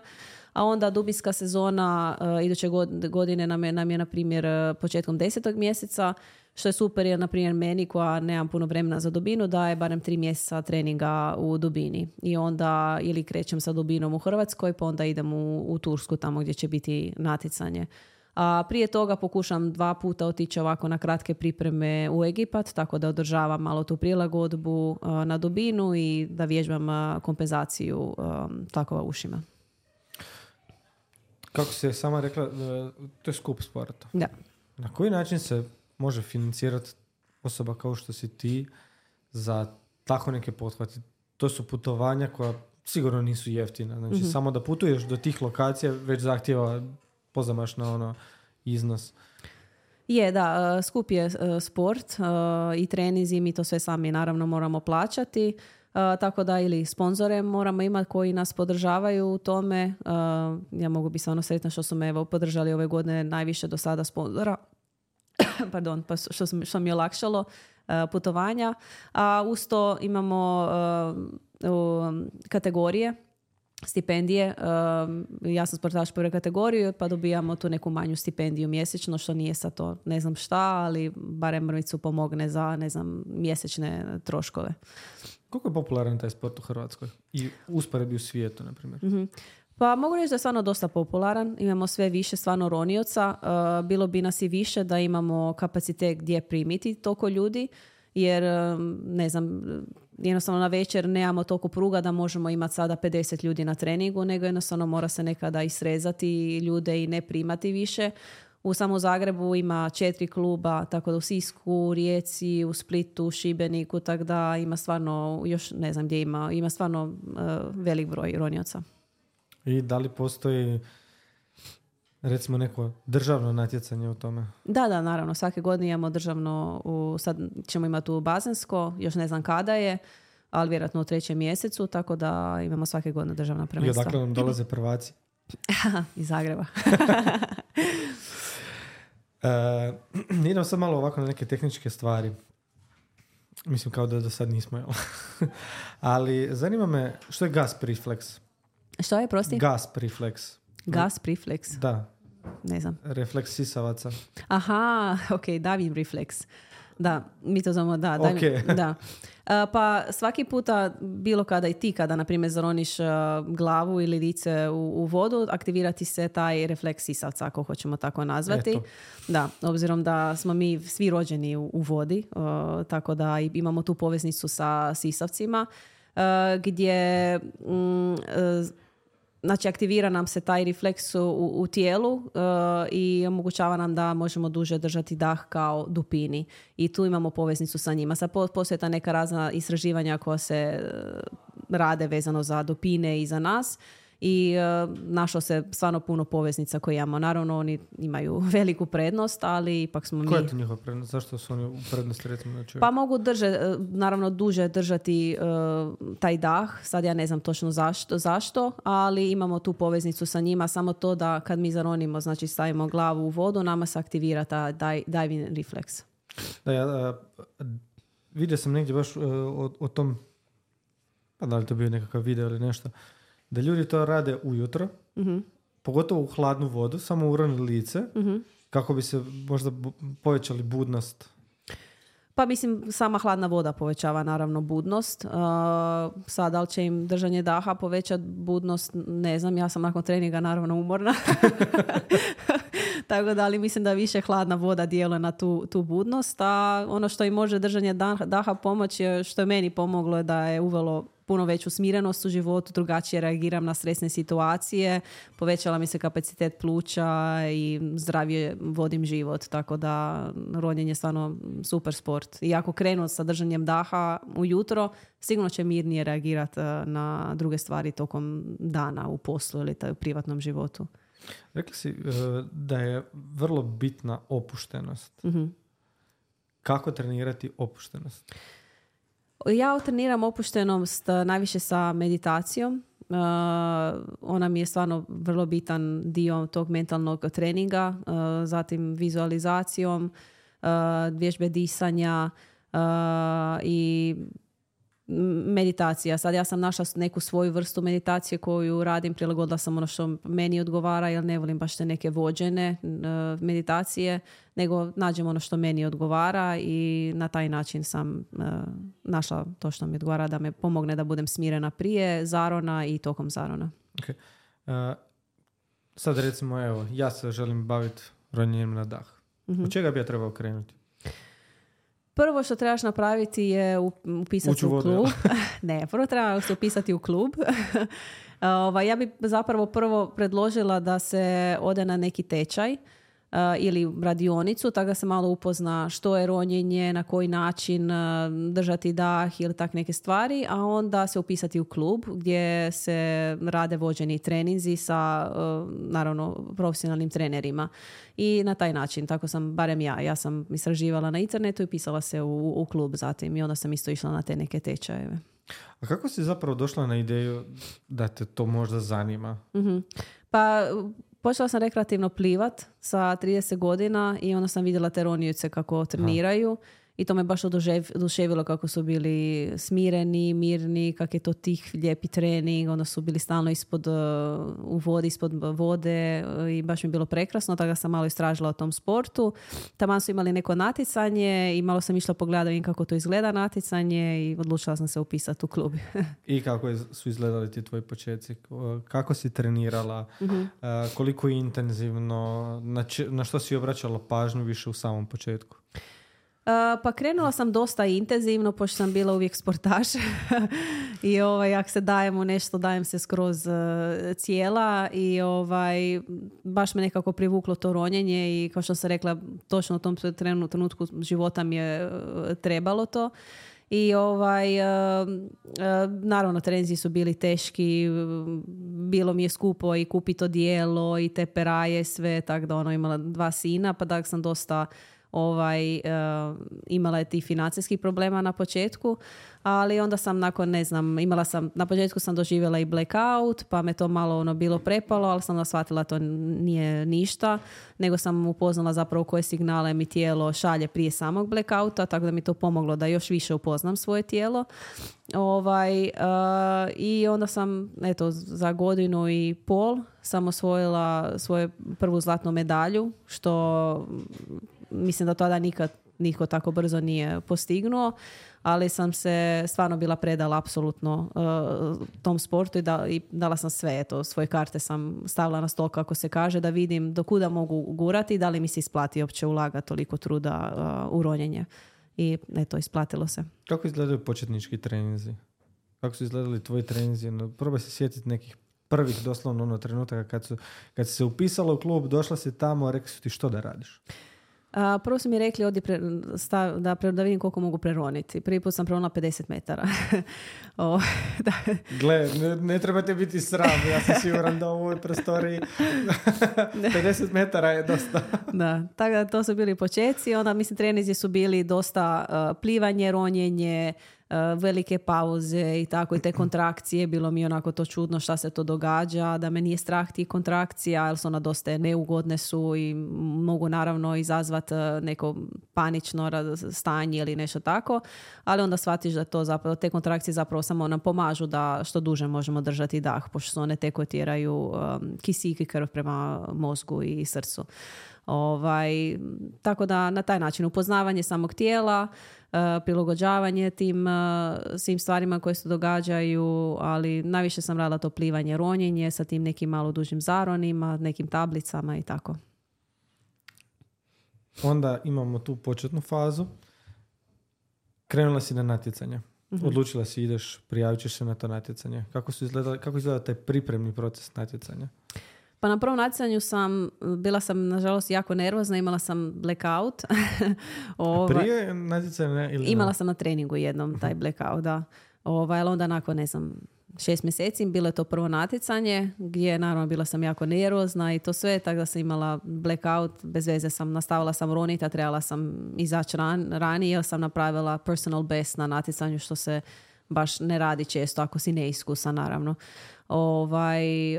A onda dubinska sezona iduće godine nam je na primjer početkom 10. mjeseca, što je super jer na primjer meni koja nemam puno vremena za dubinu daje barem 3 mjeseca treninga u dubini. I onda ili krećem sa dubinom u Hrvatskoj pa onda idem u Tursku tamo gdje će biti natjecanje. A prije toga pokušam 2 puta otići ovako na kratke pripreme u Egipat, tako da održavam malo tu prilagodbu na dubinu i da vježbam kompenzaciju tlakova ušima. kako se sama rekla, to je skup sporta. Da. Na koji način se može financirati osoba kao što si ti za tako neke pothvate? To su putovanja koja sigurno nisu jeftina. Znači, samo da putuješ do tih lokacija već zahtjeva pozamašno iznos. Je, da, skup je sport i trenizi, mi to sve sami naravno moramo plaćati. Tako da ili sponzore moramo imati koji nas podržavaju u tome. Ja mogu biti stvarno sretna što su me podržali ove godine najviše do sada sponzora. Pardon, pa što mi je olakšalo putovanja. A uz to imamo kategorije, stipendije. Ja sam sportaš prve kategorije, pa dobijamo tu neku manju stipendiju mjesečno, što nije sad to ne znam šta, ali barem mrvicu pomogne za, ne znam, mjesečne troškove. Koliko je popularan taj sport u Hrvatskoj? I usporedbi u svijetu, na primjer? Mm-hmm. Pa mogu reći da je stvarno dosta popularan. Imamo sve više stvarno ronioca. Bilo bi nas i više da imamo kapacitet gdje primiti toliko ljudi, jer ne znam, jednostavno na večer nemamo toliko pruga da možemo imati sada 50 ljudi na treningu, nego jednostavno mora se nekada i srezati ljude i ne primati više. U samo Zagrebu ima 4 kluba, tako da u Sisku, Rijeci, u Splitu, Šibeniku, tako da ima stvarno, još ne znam gdje ima stvarno velik broj ronioca. I da li postoji recimo neko državno natjecanje u tome? Da, naravno. Svake godine imamo državno, sad ćemo imati u Bazensko, još ne znam kada je, ali vjerojatno u 3. mjesecu, tako da imamo svake godine državna prvenstva. I odakle nam dolaze prvaci? Iz Zagreba. Idem sad malo ovako na neke tehničke stvari. Mislim kao da do sad nismo, jel? Ali zanima me što je gasp refleks? Što je, prosti? Gasp refleks. Gasp refleks? Da. Ne znam. Refleks sisavaca. Aha, ok, Davin refleks. Da, mi to znamo, da. Okay. Da. Pa svaki puta, bilo kada i ti, kada na primjer zaroniš glavu ili lice u vodu, aktivirati se taj refleks sisavca, ako hoćemo tako nazvati. Eto. Da, obzirom da smo mi svi rođeni u vodi, tako da imamo tu poveznicu sa sisavcima, gdje znači aktivira nam se taj refleks u tijelu i omogućava nam da možemo duže držati dah kao dupini. I tu imamo poveznicu sa njima. Sad postoje ta neka razna istraživanja koja se rade vezano za dupine i za nas. I našlo se stvarno puno poveznica koje imamo. Naravno, oni imaju veliku prednost, ali ipak smo mi... Koja je to njihova prednost? Zašto su oni u prednosti, recimo, na čovjeku? Pa mogu naravno duže držati taj dah. Sad ja ne znam točno zašto, ali imamo tu poveznicu sa njima. Samo to da kad mi zaronimo, znači stavimo glavu u vodu, nama se aktivira ta diving refleks. Da, ja vidio sam negdje baš o tom, pa da li to bio nekakav video ili nešto, da ljudi to rade ujutro, pogotovo u hladnu vodu, samo uroni lice, kako bi se možda povećali budnost. Pa mislim, sama hladna voda povećava naravno budnost. Sad, da li će im držanje daha povećati budnost, ne znam. Ja sam nakon treninga naravno umorna. Tako da, ali mislim da više hladna voda djeluje na tu budnost. A ono što im može držanje daha pomoći, što je meni pomoglo, je da je uvelo puno veću smirenost u životu, drugačije reagiram na stresne situacije, povećala mi se kapacitet pluća i zdravije vodim život, tako da ronjenje je stvarno super sport. I ako krenu sa držanjem daha ujutro, sigurno će mirnije reagirati na druge stvari tokom dana u poslu ili u privatnom životu. Rekli si da je vrlo bitna opuštenost. Kako trenirati opuštenost? Ja treniram opuštenost najviše sa meditacijom. Ona mi je stvarno vrlo bitan dio tog mentalnog treninga. Zatim vizualizacijom, vježbe disanja i meditacija. Sad ja sam našla neku svoju vrstu meditacije koju radim, prilagodila sam ono što meni odgovara, jer ne volim baš te neke vođene meditacije, nego nađem ono što meni odgovara i na taj način sam našla to što mi odgovara, da me pomogne da budem smirena prije zarona i tokom zarona. Okay. Sad recimo, evo, ja se želim baviti ronjenjem na dah. Od čega bi ja trebao krenuti? Prvo što trebaš napraviti je upisati Ući u u vodu, klub. Ne, prvo treba se upisati u klub. Ja bi zapravo prvo predložila da se ode na neki tečaj ili radionicu, tako da se malo upozna što je ronjenje, na koji način držati dah ili tak neke stvari, a onda se upisati u klub gdje se rade vođeni treninzi sa naravno profesionalnim trenerima. I na taj način, tako sam, barem ja sam istraživala na internetu i pisala se u klub zatim i onda sam isto išla na te neke tečajeve. A kako si zapravo došla na ideju da te to možda zanima? Mm-hmm. Pa počela sam rekreativno plivat sa 30 godina i onda sam vidjela te ronioce kako treniraju. I to me baš oduševilo kako su bili smireni, mirni, kak je to tih lijepi trening, onda su bili stalno u vodi, ispod vode i baš mi je bilo prekrasno, tako da sam malo istražila o tom sportu. Taman su imali neko natjecanje i malo sam išla pogledati kako to izgleda natjecanje i odlučila sam se upisati u klub. I kako su izgledali ti tvoji početci? Kako si trenirala? Mm-hmm. Koliko intenzivno? Na što si obraćala pažnju više u samom početku? Pa krenula sam dosta intenzivno, pošto sam bila uvijek sportaš i ako se dajem u nešto, dajem se skroz cijela i baš me nekako privuklo to ronjenje i kao što sam rekla, točno u tom trenutku života mi je trebalo to. I naravno treninzi su bili teški, bilo mi je skupo i kupiti odijelo i te peraje, sve, tako da imala 2 sina, pa da sam dosta imala je tih financijskih problema na početku, ali onda sam na početku sam doživjela i blackout, pa me to malo bilo prepalo, ali sam shvatila to nije ništa, nego sam upoznala zapravo koje signale mi tijelo šalje prije samog blackouta, tako da mi to pomoglo da još više upoznam svoje tijelo. I onda sam, za 1.5 godina sam osvojila svoju prvu zlatnu medalju, što mislim da tada nikad nitko tako brzo nije postignuo, ali sam se stvarno bila predala apsolutno tom sportu i dala sam sve. Svoje karte sam stavila na stol, kako se kaže, da vidim do kuda mogu gurati i da li mi se isplati uopće ulagati toliko truda u ronjenje. I isplatilo se. Kako izgledaju početnički treninzi? Kako su izgledali tvoji treninzi? Probaj se sjetiti nekih prvih doslovno trenutaka kad si se upisala u klub, došla si tamo, rekli su ti što da radiš? Prvo su mi rekli da vidim koliko mogu preroniti. Prvi put sam preronila 50 metara. Gle, ne trebate biti sram, ja sam siguran da u ovoj prostoriji 50 metara je dosta. Da, tako da to su bili početci. Onda, treninzi su bili dosta plivanje, ronjenje, velike pauze i tako, i te kontrakcije. Bilo mi onako to čudno šta se to događa, da me nije strah tih kontrakcija, jer su ona dosta neugodne su i mogu naravno izazvati neko panično stanje ili nešto tako, ali onda shvatiš da to zapravo, te kontrakcije zapravo samo nam pomažu da što duže možemo držati dah, pošto su one te koje tjeraju kisik i krv prema mozgu i srcu. Tako da na taj način upoznavanje samog tijela, prilagođavanje tim svim stvarima koje se događaju, ali najviše sam radila to plivanje, ronjenje sa tim nekim malo dužim zaronima, nekim tablicama i tako. Onda imamo tu početnu fazu. Krenula si na natjecanje. Mm-hmm. Odlučila si ideš, prijavit ćeš se na to natjecanje. Kako izgleda taj pripremni proces natjecanja? Pa na prvom natjecanju bila sam nažalost jako nervozna, imala sam blackout. Prije natjecanja? Imala sam na treningu jednom taj blackout, da. Ali onda nakon, 6 mjeseci, bilo je to prvo natjecanje, gdje naravno bila sam jako nervozna i to sve, tako da sam imala blackout, bez veze nastavila sam roniti, a trebala sam izaći ranije, jer sam napravila personal best na natjecanju, što se baš ne radi često ako si neiskusan, naravno.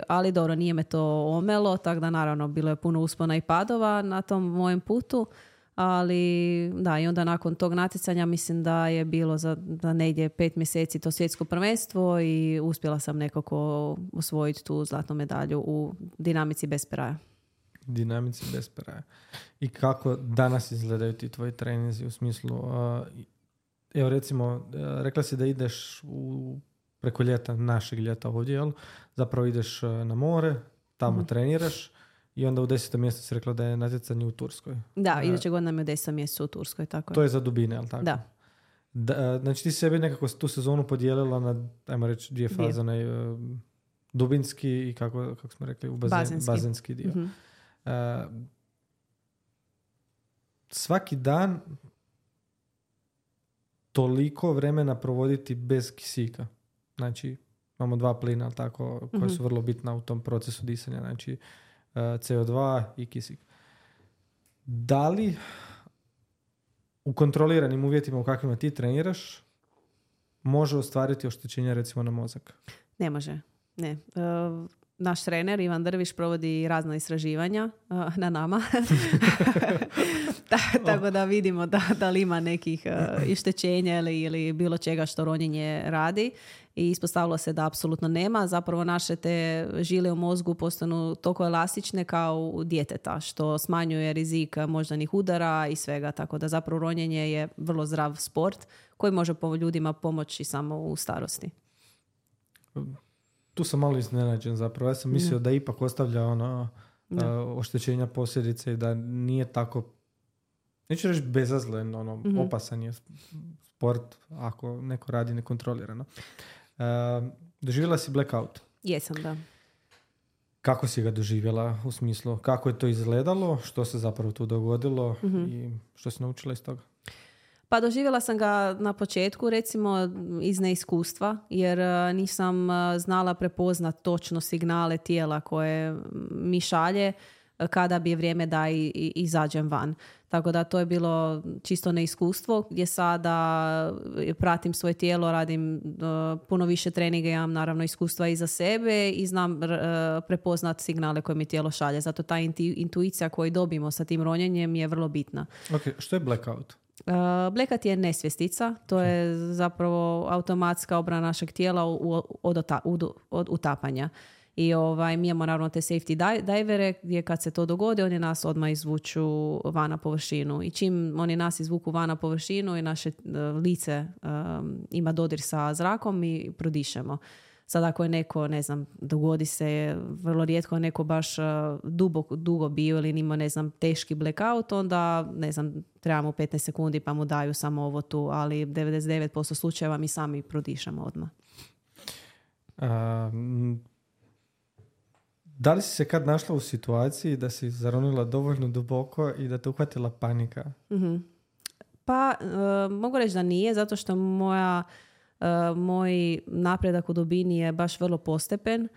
Ali dobro, nije me to omelo, tako da naravno bilo je puno uspona i padova na tom mojem putu, ali da, i onda nakon tog natjecanja mislim da je bilo za negdje 5 mjeseci to svjetsko prvenstvo i uspjela sam nekako osvojiti tu zlatnu medalju u dinamici bez peraja. Dinamici bez peraja. I kako danas izgledaju ti tvoji treninzi u smislu, evo recimo, rekla si da ideš preko ljeta, našeg ljeta ovdje, jel? Zapravo ideš na more, tamo treniraš. I onda u 10. mjesecu si rekla da je natjecanje u Turskoj. Da, iduće godine nam je u 10. mjesecu u Turskoj, tako je. To je za dubine, ali tako? Da. Znači ti sebi nekako tu sezonu podijelila na, ajmo reći, dvije faze, dubinski i kako smo rekli, u bazenski dio. Mm-hmm. Svaki dan toliko vremena provoditi bez kisika. Znači, imamo 2 plina, tako, koji su vrlo bitna u tom procesu disanja. Znači, CO2 i kisik. Da li u kontroliranim uvjetima u kakvima ti treniraš može ostvariti oštećenja recimo na mozak? Ne može. Ne. Naš trener Ivan Drviš provodi razna istraživanja na nama. Tako da vidimo da li ima nekih ištećenja ili bilo čega što ronjenje radi. I ispostavilo se da apsolutno nema. Zapravo naše te žile u mozgu postanu toliko elastične kao u djeteta, što smanjuje rizik moždanih udara i svega. Tako da zapravo ronjenje je vrlo zdrav sport koji može ljudima pomoći samo u starosti. Tu sam malo iznenađen zapravo. Ja sam mislio da ipak ostavlja oštećenja posljedice i da nije tako, neću reći bezazlen, opasan je sport ako neko radi nekontrolirano. Doživjela si blackout? Jesam, da. Kako si ga doživjela u smislu? Kako je to izgledalo? Što se zapravo tu dogodilo? I što si naučila iz toga? Pa doživjela sam ga na početku, recimo, iz neiskustva, jer nisam znala prepoznat točno signale tijela koje mi šalje kada bi je vrijeme da izađem van. Tako da to je bilo čisto neiskustvo, gdje sada pratim svoje tijelo, radim puno više treninga, imam naravno iskustva iza sebe i znam prepoznat signale koje mi tijelo šalje. Zato ta intuicija koju dobimo sa tim ronjenjem je vrlo bitna. Ok, što je blackout? Blackout je nesvjestica, to je zapravo automatska obrana našeg tijela od utapanja. I mi imamo naravno te safety divere gdje kad se to dogodi oni nas odmah izvuču van na površinu. I čim oni nas izvuku van na površinu i naše lice ima dodir sa zrakom i prodišemo. Sad ako je neko, ne znam, dogodi se vrlo rijetko neko baš dugo bio ili ima, ne znam, teški blackout, onda, ne znam, trebamo 15 sekundi pa mu daju samo ovo tu, ali 99% slučajeva mi sami prodišemo odmah. Da li si se kad našla u situaciji da si zaronila dovoljno duboko i da te uhvatila panika? Mm-hmm. Pa, mogu reći da nije, zato što moj napredak u dubini je baš vrlo postepen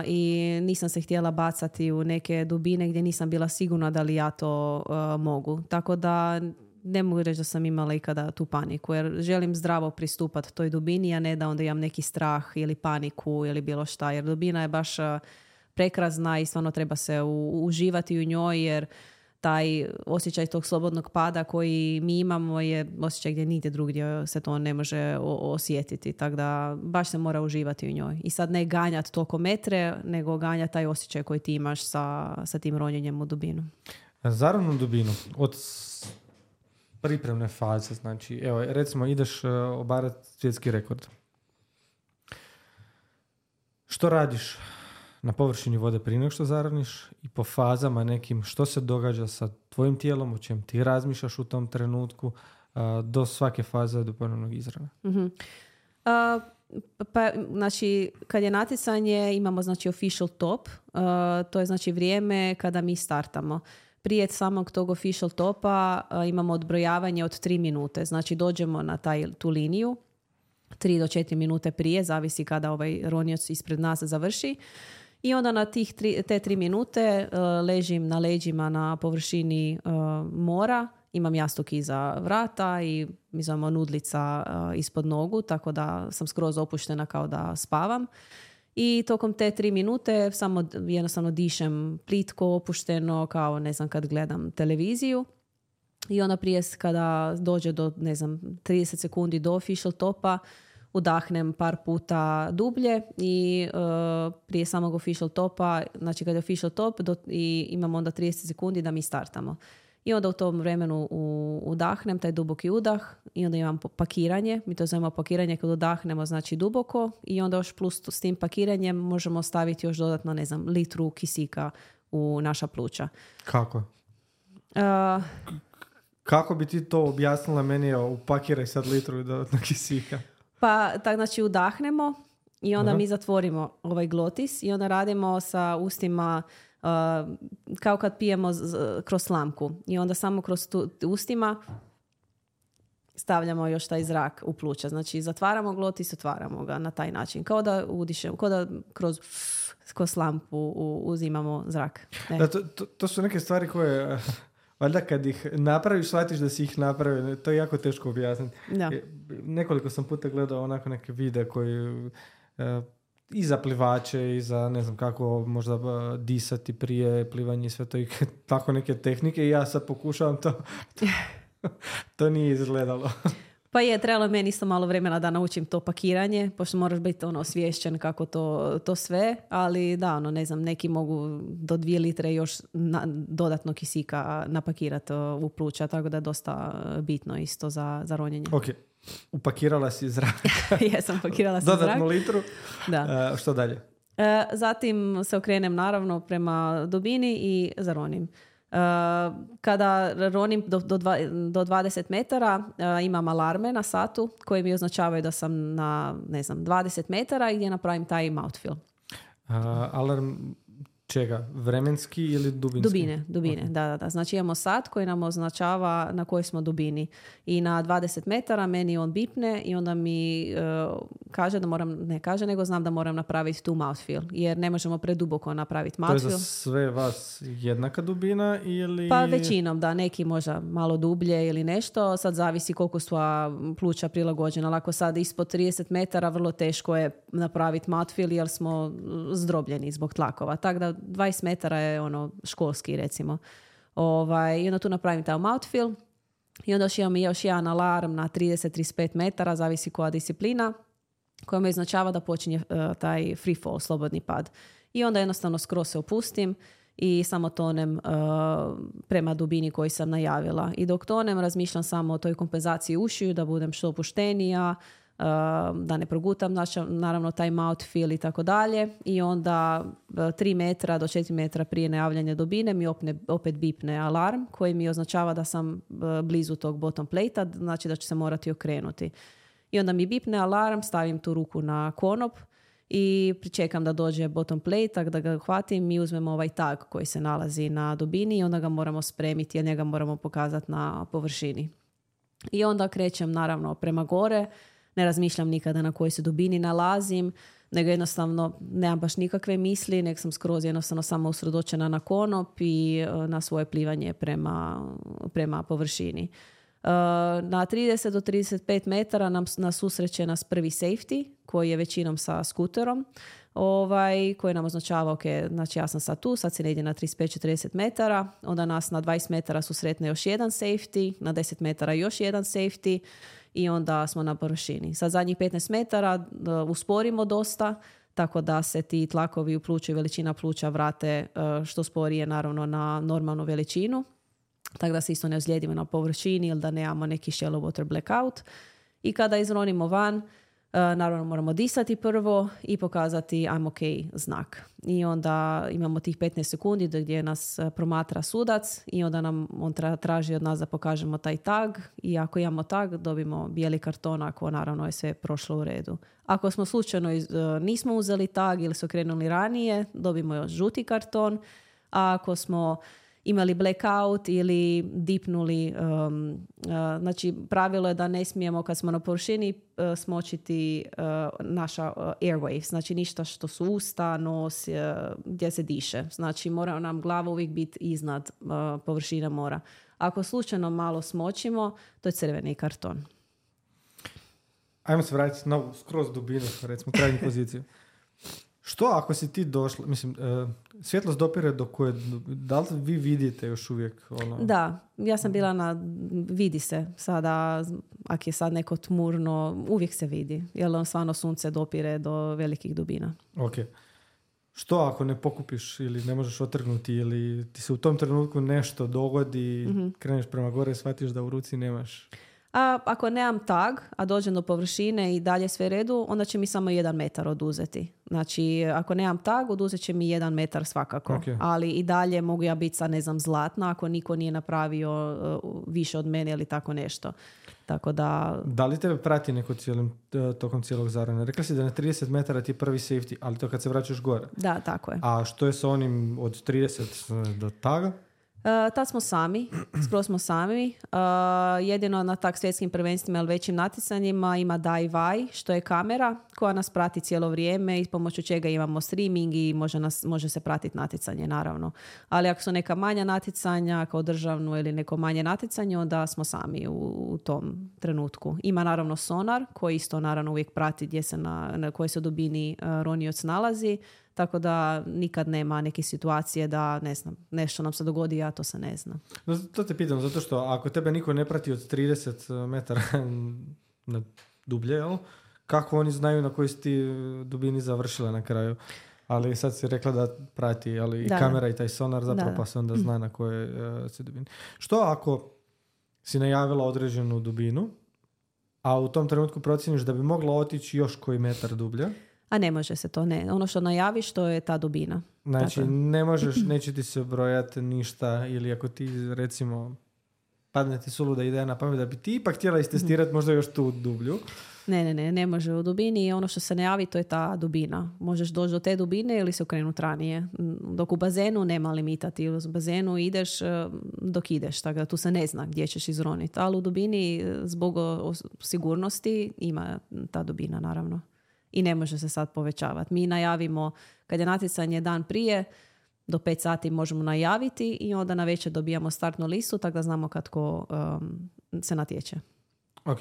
i nisam se htjela bacati u neke dubine gdje nisam bila sigurna da li ja to mogu. Tako da ne mogu reći da sam imala ikada tu paniku, jer želim zdravo pristupati toj dubini, a ne da onda imam neki strah ili paniku ili bilo šta, jer dubina je baš prekrasna i stvarno treba se uživati u njoj, jer taj osjećaj tog slobodnog pada koji mi imamo je osjećaj gdje nigdje drugdje se to ne može osjetiti. Tako da baš se mora uživati u njoj. I sad ne ganjati toliko metre, nego ganjati taj osjećaj koji ti imaš sa tim ronjenjem u dubinu. Zaravno dubinu. Od pripremne faze, znači, evo, recimo ideš obarati svjetski rekord. Što radiš na površini vode prije nego što zaroniš i po fazama nekim što se događa sa tvojim tijelom, o čem ti razmišljaš u tom trenutku do svake faze do ponovnog izrana? Mm-hmm. Pa, znači, kad je natjecanje imamo, znači, official top, to je, znači, vrijeme kada mi startamo. Prije samog tog official topa imamo odbrojavanje od 3 minute, znači dođemo na tu liniju 3 do 4 minute prije, zavisi kada ovaj ronioc ispred nas završi. I onda na te 3 minute ležim na leđima na površini mora, imam jastuk iza vrata i mi zovemo nudlica ispod nogu, tako da sam skroz opuštena kao da spavam. I tokom te 3 minute samo jednostavno dišem plitko, opušteno, kao, ne znam, kad gledam televiziju. I onda prije kada dođe do, ne znam, 30 sekundi do official topa, udahnem par puta dublje i prije samog official topa, znači kad je official top i imamo onda 30 sekundi da mi startamo. I onda u tom vremenu udahnem taj duboki udah i onda imam pakiranje. Mi to zovemo pakiranje kad udahnemo, znači duboko, i onda još plus s tim pakiranjem možemo staviti još dodatno, ne znam, litru kisika u naša pluća. Kako? Kako bi ti to objasnila meni, upakiraj sad litru do kisika? Pa tak, znači udahnemo i onda mi zatvorimo ovaj glotis i onda radimo sa ustima kao kad pijemo kroz slamku. I onda samo kroz ustima stavljamo još taj zrak u pluća. Znači zatvaramo glotis, otvaramo ga na taj način. Kao da udišemo, kao da kroz slamku uzimamo zrak. Da, to su neke stvari koje... Valjda kad ih napraviš, shvatiš da si ih napravio. To je jako teško objasniti. Da. Nekoliko sam puta gledao onako neke videe koji i za plivače i za ne znam kako možda disati prije plivanja i sve to i tako neke tehnike i ja sad pokušavam to. To nije izgledalo. Pa je, trebalo meni isto malo vremena da naučim to pakiranje, pošto moraš biti osviješćen kako to sve, ali da, ne znam, neki mogu do 2 litre još dodatno kisika napakirati u pluća, tako da je dosta bitno isto za ronjenje. Ok, upakirala si zrak. Jesam, pakirala sam zrak. Dodatnu litru. Da. Što dalje? Zatim se okrenem naravno prema dubini i zaronim. Kada ronim do 20 metara imam alarme na satu koji mi označavaju da sam na 20 metara i gdje napravim taj mouthfeel. Alarm čega? Vremenski ili dubinski? Dubine, okay. Da. Znači imamo sat koji nam označava na kojoj smo dubini i na 20 metara meni on bipne i onda mi kaže da moram, ne kaže, nego znam da moram napraviti tu mouthfeel, jer ne možemo preduboko napraviti mouthfeel. To je za sve vas jednaka dubina ili... Pa većinom, da, neki možda malo dublje ili nešto, sad zavisi koliko su pluća prilagođena, ali ako sad ispod 30 metara vrlo teško je napraviti mouthfeel jer smo zdrobljeni zbog tlakova, tako da 20 metara je školski recimo. I onda tu napravim taj mouthfeel i onda imam još jedan alarm na 30-35 metara, zavisi koja disciplina, koja me označava da počinje taj free fall, slobodni pad. I onda jednostavno skroz se opustim i samo tonem prema dubini koju sam najavila. I dok tonem razmišljam samo o toj kompenzaciji ušiju, da budem što opuštenija, da ne progutam naravno taj mouthfeel i tako dalje. I onda 3 metra do 4 metra prije najavljanja dubine mi opet bipne alarm koji mi označava da sam blizu tog bottom plate-a, znači da ću se morati okrenuti. I onda mi bipne alarm, stavim tu ruku na konop i pričekam da dođe bottom plate, da ga hvatim i uzmemo ovaj tag koji se nalazi na dubini i onda ga moramo spremiti jer njega moramo pokazati na površini. I onda krećem naravno prema gore, ne razmišljam nikada na kojoj se dubini nalazim, nego jednostavno nemam baš nikakve misli, nek sam skroz jednostavno samo usredočena na konop i na svoje plivanje prema površini. Na 30 do 35 metara nas susreće nas prvi safety, koji je većinom sa skuterom, koji nam označava, ok, znači ja sam sad tu, sad se ne ide na 35-40 metara, onda nas na 20 metara susretne još jedan safety, na 10 metara još jedan safety i onda smo na površini. Sad zadnjih 15 metara usporimo dosta, tako da se ti tlakovi u pluću i veličina pluća vrate što sporije naravno na normalnu veličinu, tako da se isto ne ozlijedimo na površini ili da nemamo neki shallow water blackout. I kada izronimo van, naravno moramo disati prvo i pokazati I'm ok znak. I onda imamo tih 15 sekundi gdje nas promatra sudac i onda nam on traži od nas da pokažemo taj tag i ako imamo tag dobimo bijeli karton ako naravno je sve prošlo u redu. Ako smo slučajno nismo uzeli tag ili su krenuli ranije, dobimo još žuti karton, a ako smo imali blackout ili dipnuli, znači pravilo je da ne smijemo kad smo na površini smočiti naša airwaves, znači ništa što su usta, nos, gdje se diše. Znači mora nam glava uvijek biti iznad površine mora. Ako slučajno malo smočimo, to je crveni karton. Ajmo se vratiti na skroz dubinu, recimo krajnju poziciju. Što ako si ti došla, mislim, svjetlost dopire do koje, da li vi vidite još uvijek ono? Da, ja sam bila vidi se sada, ako je sad neko tmurno, uvijek se vidi, jer stvarno sunce dopire do velikih dubina. Ok. Što ako ne pokupiš ili ne možeš otrgnuti ili ti se u tom trenutku nešto dogodi, kreneš prema gore i shvatiš da u ruci nemaš? A ako nemam tag, a dođem do površine i dalje sve redu, onda će mi samo 1 metar oduzeti. Znači, ako nemam tag, oduzet će mi 1 metar svakako. Okay. Ali i dalje mogu ja biti sad, ne znam, zlatna ako niko nije napravio više od mene ili tako nešto. Tako da... Da li tebe prati neko tokom cijelog zarana? Rekla si da na 30 metara ti je prvi safety, ali to kad se vraćaš gore. Da, tako je. A što je sa onim od 30 do taga? Tad smo sami, skoro smo sami. Jedino na tak svjetskim prvenstvima ili većim natjecanjima ima DIY, što je kamera koja nas prati cijelo vrijeme i pomoću čega imamo streaming i može se pratiti natjecanje, naravno. Ali ako su neka manja natjecanja, kao državno ili neko manje natjecanje, onda smo sami u tom trenutku. Ima naravno sonar koji isto naravno uvijek prati gdje se na kojoj se dubini ronioc nalazi. Tako da nikad nema neke situacije da, ne znam, nešto nam se dogodi, ja to se ne znam. No, to te pitam, zato što ako tebe niko ne prati od 30 metara na dublje, jel? Kako oni znaju na kojoj si ti dubini završila na kraju? Ali sad si rekla da prati, ali i kamera i taj sonar zapravo pa se onda zna na kojoj si dubini. Što ako si najavila određenu dubinu, a u tom trenutku procjeniš da bi mogla otići još koji metar dublje? A ne može se to, ne. Ono što najaviš, to je ta dubina. Znači, ne možeš, neće ti se brojati ništa, ili ako ti, recimo, padne ti suluda ideja na pamet da bi ti ipak htjela istestirati možda još tu dublju. Ne može u dubini i ono što se najavi, to je ta dubina. Možeš doći do te dubine ili se okrenuti ranije. Dok u bazenu nema limita, ti u bazenu ideš dok ideš, tako da tu se ne zna gdje ćeš izroniti. Ali u dubini, zbog sigurnosti, ima ta dubina, naravno. I ne može se sad povećavati. Mi najavimo, kad je natjecanje dan prije, do 5 sati možemo najaviti i onda na večer dobijamo startnu listu, tako da znamo kad ko se natječe. Ok,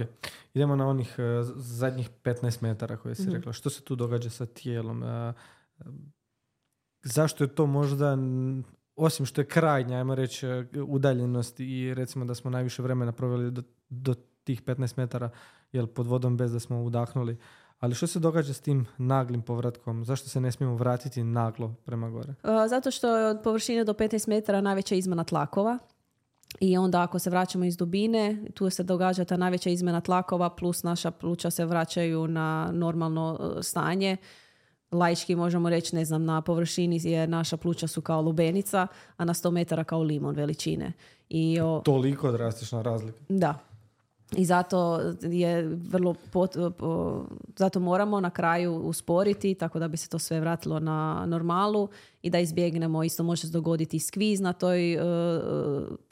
idemo na onih zadnjih 15 metara koje si rekla. Što se tu događa sa tijelom? Zašto je to možda, osim što je krajnja, ajmo reći, udaljenost i recimo da smo najviše vremena proveli do tih 15 metara pod vodom bez da smo udahnuli, ali što se događa s tim naglim povratkom? Zašto se ne smijemo vratiti naglo prema gore? Zato što je od površine do 15 metara najveća izmjena tlakova. I onda ako se vraćamo iz dubine, tu se događa ta najveća izmjena tlakova plus naša pluća se vraćaju na normalno stanje. Laički možemo reći, ne znam, na površini je naša pluća su kao lubenica, a na 100 metara kao limon veličine. Toliko drastična razlika. Da. I zato je zato moramo na kraju usporiti tako da bi se to sve vratilo na normalu i da izbjegnemo, isto može se dogoditi skviz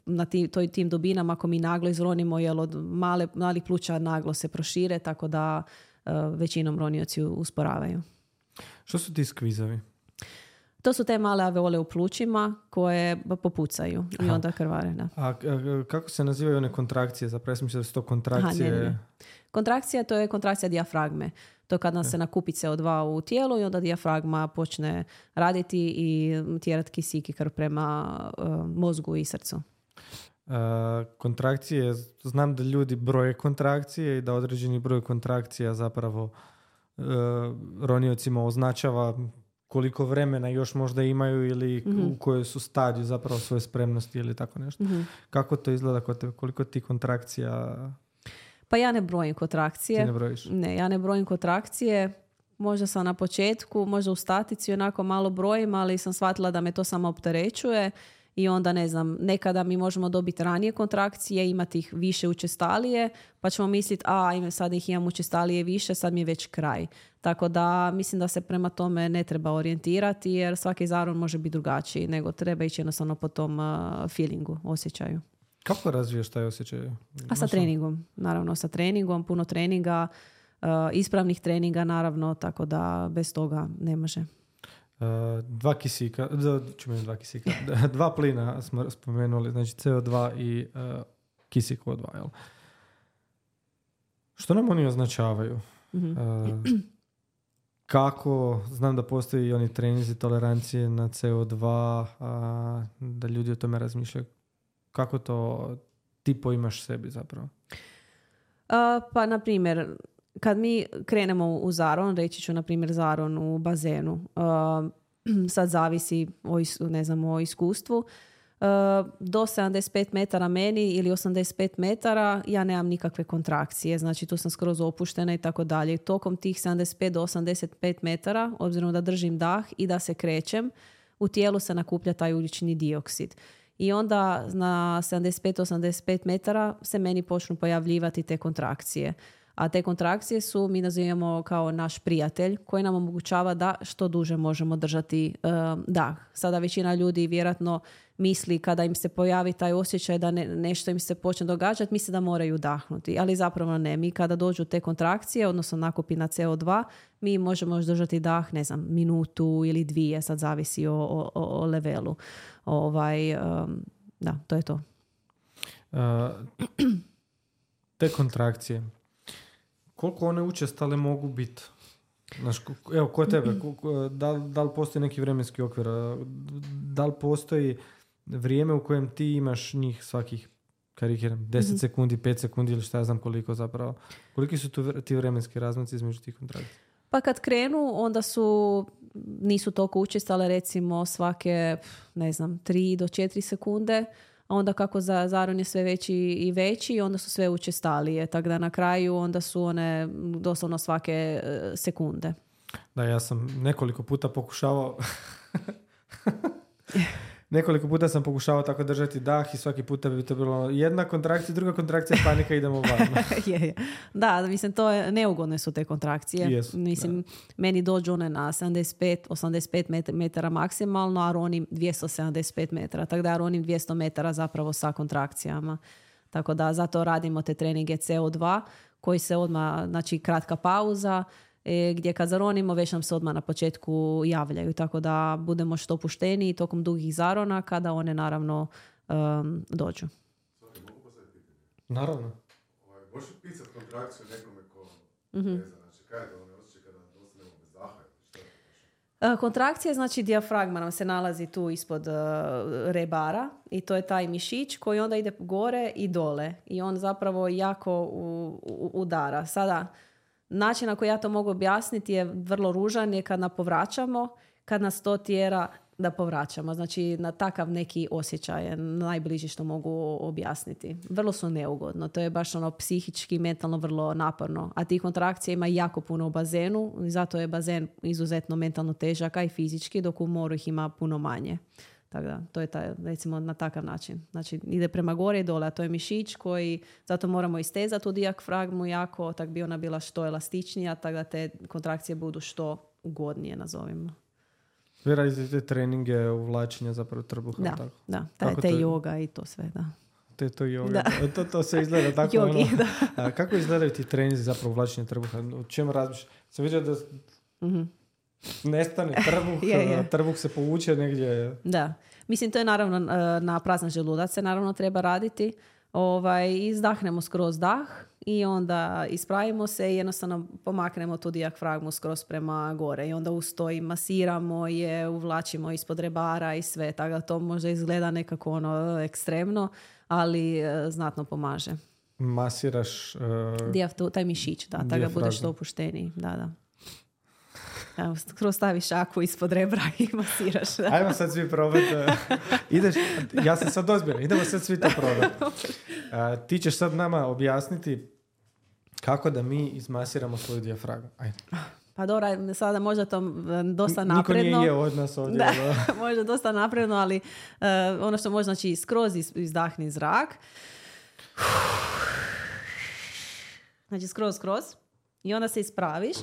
na tim dubinama ako mi naglo izronimo, jer od malih pluća naglo se prošire, tako da većinom ronioci usporavaju. Što su ti skvizovi? To su te male alveole u plućima koje popucaju i onda krvare. Da. A kako se nazivaju one kontrakcije? Zapravo sam mislila da su to kontrakcije. Ne. Kontrakcija, to je kontrakcija dijafragme. To je kad nam se nakupi CO2 u tijelu i onda dijafragma počne raditi i tjerati kisik i krv prema mozgu i srcu. Kontrakcije, znam da ljudi broje kontrakcije i da određeni broj kontrakcija zapravo roniocima označava koliko vremena još možda imaju ili u kojoj su stadiju zapravo svoje spremnosti ili tako nešto. Kako to izgleda kod tebe? Koliko ti kontrakcija? Pa ja ne brojim kontrakcije. Ti ne brojiš? Ne, ja ne brojim kontrakcije. Možda sam na početku, možda u statici onako malo brojim, ali sam shvatila da me to samo opterećuje i onda ne znam, nekada mi možemo dobiti ranije kontrakcije, imati ih više učestalije, pa ćemo misliti, sad ih imam učestalije više, sad mi je već kraj. Tako da mislim da se prema tome ne treba orijentirati, jer svaki zaron može biti drugačiji, nego treba ići jednostavno po tom feelingu, osjećaju. Kako razviješ taj osjećaj? A sa treningom, naravno sa treningom, puno treninga, ispravnih treninga naravno, tako da bez toga ne može. Dva kisika, dva plina smo spomenuli, znači CO2 i kisik O2. Jel? Što nam oni označavaju? Kako, znam da postoji i oni treninzi tolerancije na CO2, da ljudi o tome razmišljaju. Kako to ti poimaš sebi zapravo? Pa, na primjer, kad mi krenemo u zaron, reći ću, na primjer, zaron u bazenu, sad zavisi o iskustvu. do 75 metara meni ili 85 metara ja nemam nikakve kontrakcije, znači tu sam skroz opuštena i tako dalje. Tokom tih 75 do 85 metara, obzirom da držim dah i da se krećem, u tijelu se nakuplja taj ugljični dioksid. I onda na 75-85 metara se meni počnu pojavljivati te kontrakcije. A te kontrakcije su, mi nazivamo kao naš prijatelj koji nam omogućava da što duže možemo držati dah. Sada većina ljudi vjerojatno misli kada im se pojavi taj osjećaj da nešto im se počne događati, misle da moraju dahnuti. Ali zapravo ne. Mi kada dođu te kontrakcije, odnosno nakupina CO2, mi možemo još držati dah, ne znam, minutu ili dvije, sad zavisi o levelu. Da, to je to. Te kontrakcije, koliko one učestale mogu biti? Evo, kod tebe, da li postoji neki vremenski okvir? Da li postoji vrijeme u kojem ti imaš njih svakih, karikiram, 10 sekundi, 5 sekundi ili šta ja znam koliko zapravo? Koliki su ti vremenski razmaci između tih kontrakcija? Pa kad krenu, onda nisu toliko učestale, recimo svake, 3 do 4 sekunde, a onda kako zaron je sve veći i veći, onda su sve učestalije. Tako da na kraju onda su one doslovno svake sekunde. Da, ja sam nekoliko puta pokušavao tako držati dah i svaki puta bi to bilo jedna kontrakcija, druga kontrakcija, panika, idemo van. je. Da, mislim, neugodne su te kontrakcije. Yes, mislim, meni dođu one na 75-85 metara maksimalno, a ronim 275 metara. Tako da ja ronim 200 metara zapravo sa kontrakcijama. Tako da zato radimo te treninge CO2 koji se odmah, znači kratka pauza, gdje kad zaronimo već nam se odmah na početku javljaju, tako da budemo što opušteniji tokom dugih zarona kada one naravno dođu. Naravno. Možeš pisati kontrakciju nekome ko ne zna, znači kaj je to one osjećaj kada ostanemo bez daha? Kontrakcija, znači dijafragma nam se nalazi tu ispod rebara i to je taj mišić koji onda ide gore i dole i on zapravo jako udara. Sada, način na koji ja to mogu objasniti je vrlo ružan, je kad napovraćamo, kad nas to tjera da povraćamo. Znači, na takav neki osjećaj je najbliži što mogu objasniti. Vrlo su neugodno. To je baš psihički, mentalno vrlo naporno. A tih kontrakcija ima jako puno u bazenu i zato je bazen izuzetno mentalno težak, a i fizički, dok u moru ih ima puno manje. Tako da, to je recimo na takav način. Znači, ide prema gore i dole, a to je mišić koji, zato moramo istezati u dijafragmu jako, tako bi ona bila što elastičnija, tako da te kontrakcije budu što ugodnije, nazovimo. Vi radite te treninge uvlačenja zapravo trbuha? Da, tako? Da. Te yoga i to sve, da. To yoga. To se izgleda tako. Jogi, da. Kako izgledaju ti treninzi zapravo uvlačenja trbuha? O čemu razmišljaš? Sam vidio da nestane trbuh, trbuh se povuče negdje. Da. Mislim, to je naravno na prazan želudac se naravno treba raditi. Izdahnemo skroz dah i onda ispravimo se i jednostavno pomaknemo tu dijafragmu skroz prema gore i onda uz to i masiramo je, uvlačimo ispod rebara i sve, tako da to možda izgleda nekako ekstremno, ali znatno pomaže. Masiraš taj mišić, da, tako da budeš što opušteniji. Da. Evo, skroz staviš šaku ispod rebra i masiraš. Da. Ajmo sad svi probati. Ideš, ja sam sad ozbiljna, idemo sad svi to probati. Ti ćeš sad nama objasniti kako da mi izmasiramo svoju dijafragmu. Ajde. Pa dobro, sada možda to dosta napredno. Niko nije jeo od nas ovdje. Da, možda dosta napredno, ali ono što može, znači skroz izdahni zrak. Znači skroz i onda se ispraviš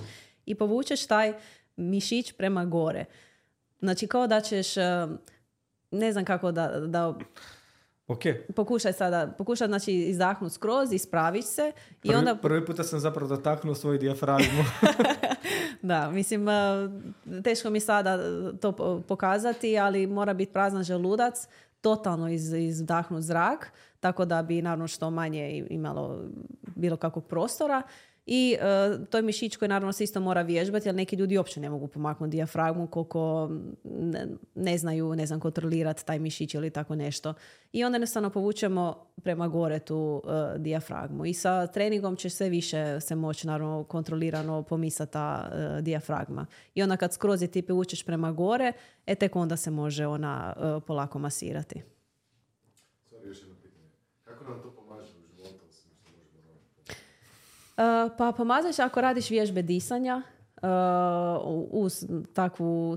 i povučeš taj mišić prema gore. Znači kao da ćeš, ne znam kako da Okay. Pokušaj znači izdahnuti skroz, ispraviš se i onda... Prvi puta sam zapravo dotaknuo svoju dijafragmu. Da, mislim, teško mi sada to pokazati, ali mora biti prazan želudac, totalno izdahnut zrak, tako da bi naravno što manje imalo bilo kakvog prostora. I to je mišić koji naravno se isto mora vježbati, ali neki ljudi uopće ne mogu pomaknuti dijafragmu koliko ne znam kontrolirati taj mišić ili tako nešto. I onda jednostavno povučemo prema gore tu dijafragmu. I sa treningom će sve više se moći naravno kontrolirano pomisati ta dijafragma. I onda kad skroz ti povučeš prema gore, tek onda se može ona polako masirati. Kako nam to pomaže u životu, osim što možemo raditi? Pa pomažeš ako radiš vježbe disanja, uz takvu,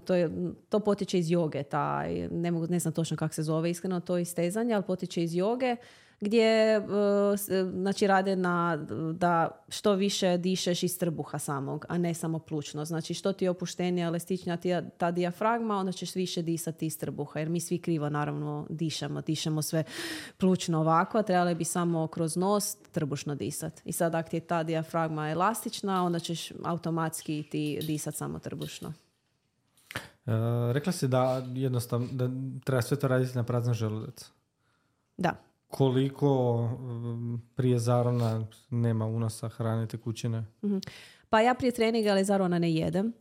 to potiče iz joge, ne znam točno kako se zove iskreno to istezanje, ali potiče iz joge gdje znači rade da što više dišeš iz trbuha samog, a ne samo plućno. Znači što ti je opuštenija, elastičnija ta dijafragma, onda ćeš više disati iz trbuha, jer mi svi krivo naravno dišemo sve plućno ovako, a trebali bi samo kroz nos trbušno disati. I sad ako ti je ta dijafragma elastična, onda ćeš automatski ti disati samo trbušno. Rekla si da jednostavno da treba sve to raditi na prazan želudac. Da. Koliko prije zarona nema unosa hrane tekućine? Pa ja prije treninga ali zarona ne jedem.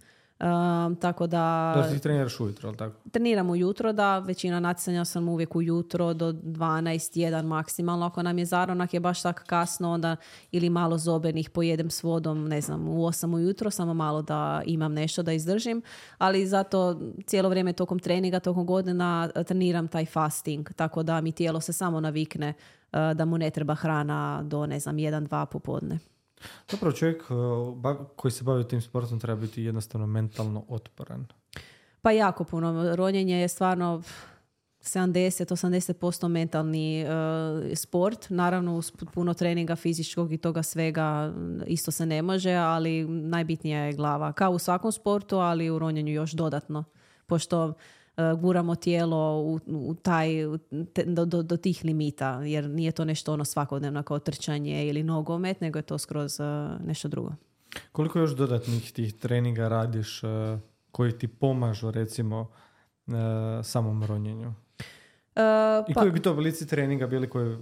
Tako da... Da ti treniraš ujutro, ali tako? Treniram ujutro, da. Većina natjecanja sam uvijek ujutro do 12, 1 maksimalno. Ako nam je zaronak je baš tako kasno, onda ili malo zobenih pojedem s vodom, ne znam, u 8 ujutro, samo malo da imam nešto da izdržim. Ali zato cijelo vrijeme tokom treninga, tokom godina treniram taj fasting. Tako da mi tijelo se samo navikne da mu ne treba hrana do, ne znam, 1-2 popodne. Zapravo čovjek koji se bavi tim sportom treba biti jednostavno mentalno otporan. Pa jako puno. Ronjenje je stvarno 70-80% mentalni sport. Naravno uz puno treninga fizičkog i toga svega isto se ne može, ali najbitnija je glava. Kao u svakom sportu, ali u ronjenju još dodatno. Pošto guramo tijelo do tih limita, jer nije to nešto ono svakodnevno kao trčanje ili nogomet, nego je to skroz nešto drugo. Koliko još dodatnih tih treninga radiš koji ti pomažu recimo samom ronjenju? I koji bi to oblici treninga bili koji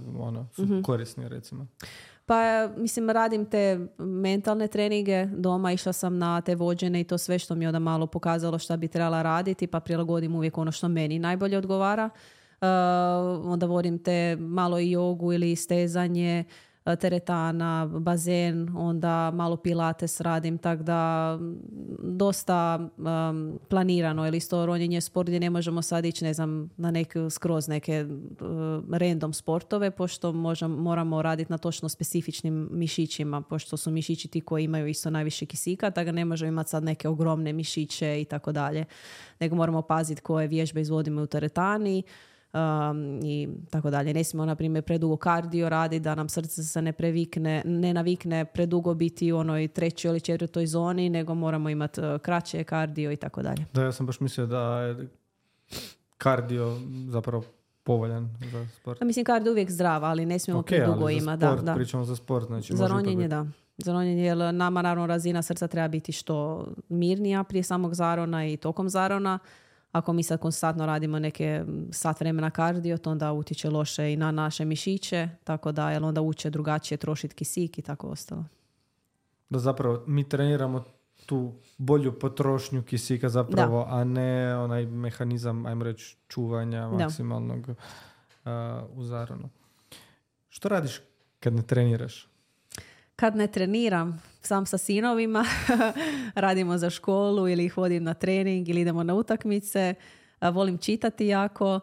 su korisni recimo? Pa mislim radim te mentalne treninge doma, išla sam na te vođene i to sve što mi je onda malo pokazalo šta bi trebala raditi, pa prilagodim uvijek ono što meni najbolje odgovara. Onda vodim te malo i jogu ili stezanje, teretana, bazen, onda malo pilates radim, tako da dosta planirano, ili isto ronjenje sport gdje ne možemo sad ići, ne znam, na skroz neke random sportove, pošto moramo raditi na točno specifičnim mišićima, pošto su mišići ti koji imaju isto najviše kisika, tako da ne možemo imati sad neke ogromne mišiće i tako dalje, nego moramo paziti koje vježbe izvodimo u teretani, i tako dalje. Ne smijemo, na primjer, predugo kardio raditi da nam srce se ne navikne predugo biti u onoj 3. ili 4. zoni, nego moramo imati kraće kardio i tako dalje. Da, ja sam baš mislio da je kardio zapravo povoljan za sport. Mislim, kardio uvijek zdrav, ali ne smijemo predugo imati. Da. Pričamo za sport. Znači za ronjenje, da. Za ronjenje, jer nama naravno razina srca treba biti što mirnija prije samog zarona i tokom zarona. Ako mi sad konstantno radimo neke sat vremena kardio, to onda utječe loše i na naše mišiće, tako da jer onda uče drugačije trošiti kisik i tako ostalo. Da zapravo mi treniramo tu bolju potrošnju kisika zapravo, a ne onaj mehanizam, ajmo reći, čuvanja maksimalnog u zaronu. Što radiš kad ne treniraš? Kad ne treniram, sam sa sinovima, radimo za školu ili ih vodim na trening ili idemo na utakmice. Volim čitati jako,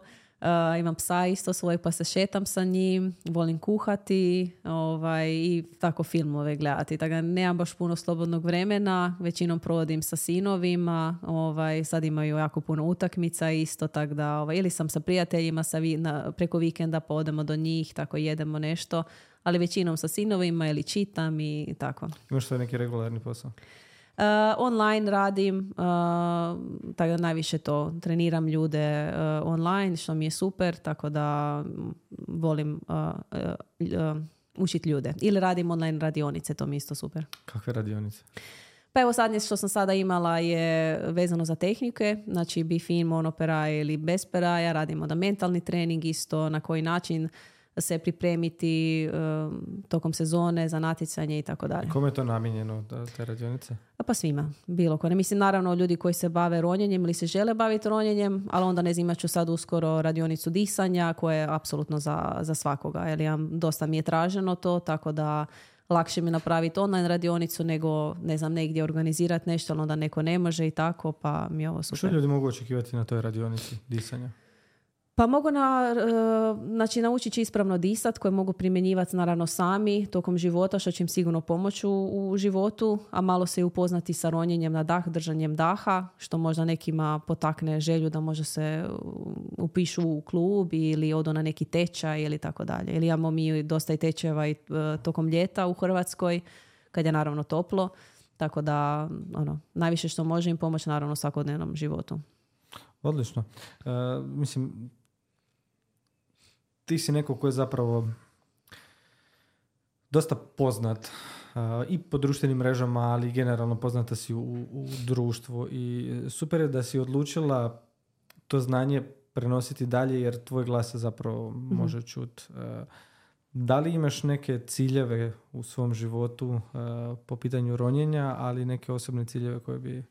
imam psa isto svoj pa se šetam sa njim, volim kuhati i tako filmove gledati. Tako da nemam baš puno slobodnog vremena, većinom provodim sa sinovima, sad imaju jako puno utakmica isto, tako da ili sam sa prijateljima preko vikenda pa odemo do njih, tako jedemo nešto. Ali većinom sa sinovima ili čitam i tako. Imaš svoj neki regularni posao? Online radim, tako da najviše to treniram ljude online, što mi je super, tako da volim učiti ljude. Ili radim online radionice, to mi je isto super. Kakve radionice? Pa evo sadnje što sam sada imala je vezano za tehnike, znači bifin, monoperaj ili bez peraja, radimo da mentalni trening isto, na koji način se pripremiti tokom sezone za natjecanje i tako dalje. Kome je to namijenjeno, te radionice? Pa svima, bilo ko. Ne mislim, naravno ljudi koji se bave ronjenjem ili se žele baviti ronjenjem, ali onda ne znam, imat ću sad uskoro radionicu disanja koja je apsolutno za svakoga. Jer dosta mi je traženo to, tako da lakše mi napraviti online radionicu nego, ne znam, negdje organizirati nešto, ali onda neko ne može i tako, pa mi je ovo super. Što ljudi mogu očekivati na toj radionici disanja? Pa mogu znači naučit će ispravno disat, koje mogu primjenjivati naravno sami tokom života, što će im sigurno pomoći u životu, a malo se i upoznati sa ronjenjem na dah, držanjem daha, što možda nekima potakne želju da možda se upišu u klub ili odu na neki tečaj ili tako dalje. Ili imamo mi dosta i tečajeva i tokom ljeta u Hrvatskoj, kad je naravno toplo, tako da najviše što može im pomoći naravno u svakodnevnom životu. Odlično. Mislim, ti si neko ko je zapravo dosta poznat i po društvenim mrežama, ali generalno poznata si u društvu i super je da si odlučila to znanje prenositi dalje jer tvoj glas se zapravo može čuti. Da li imaš neke ciljeve u svom životu po pitanju ronjenja, ali neke osobne ciljeve koje bi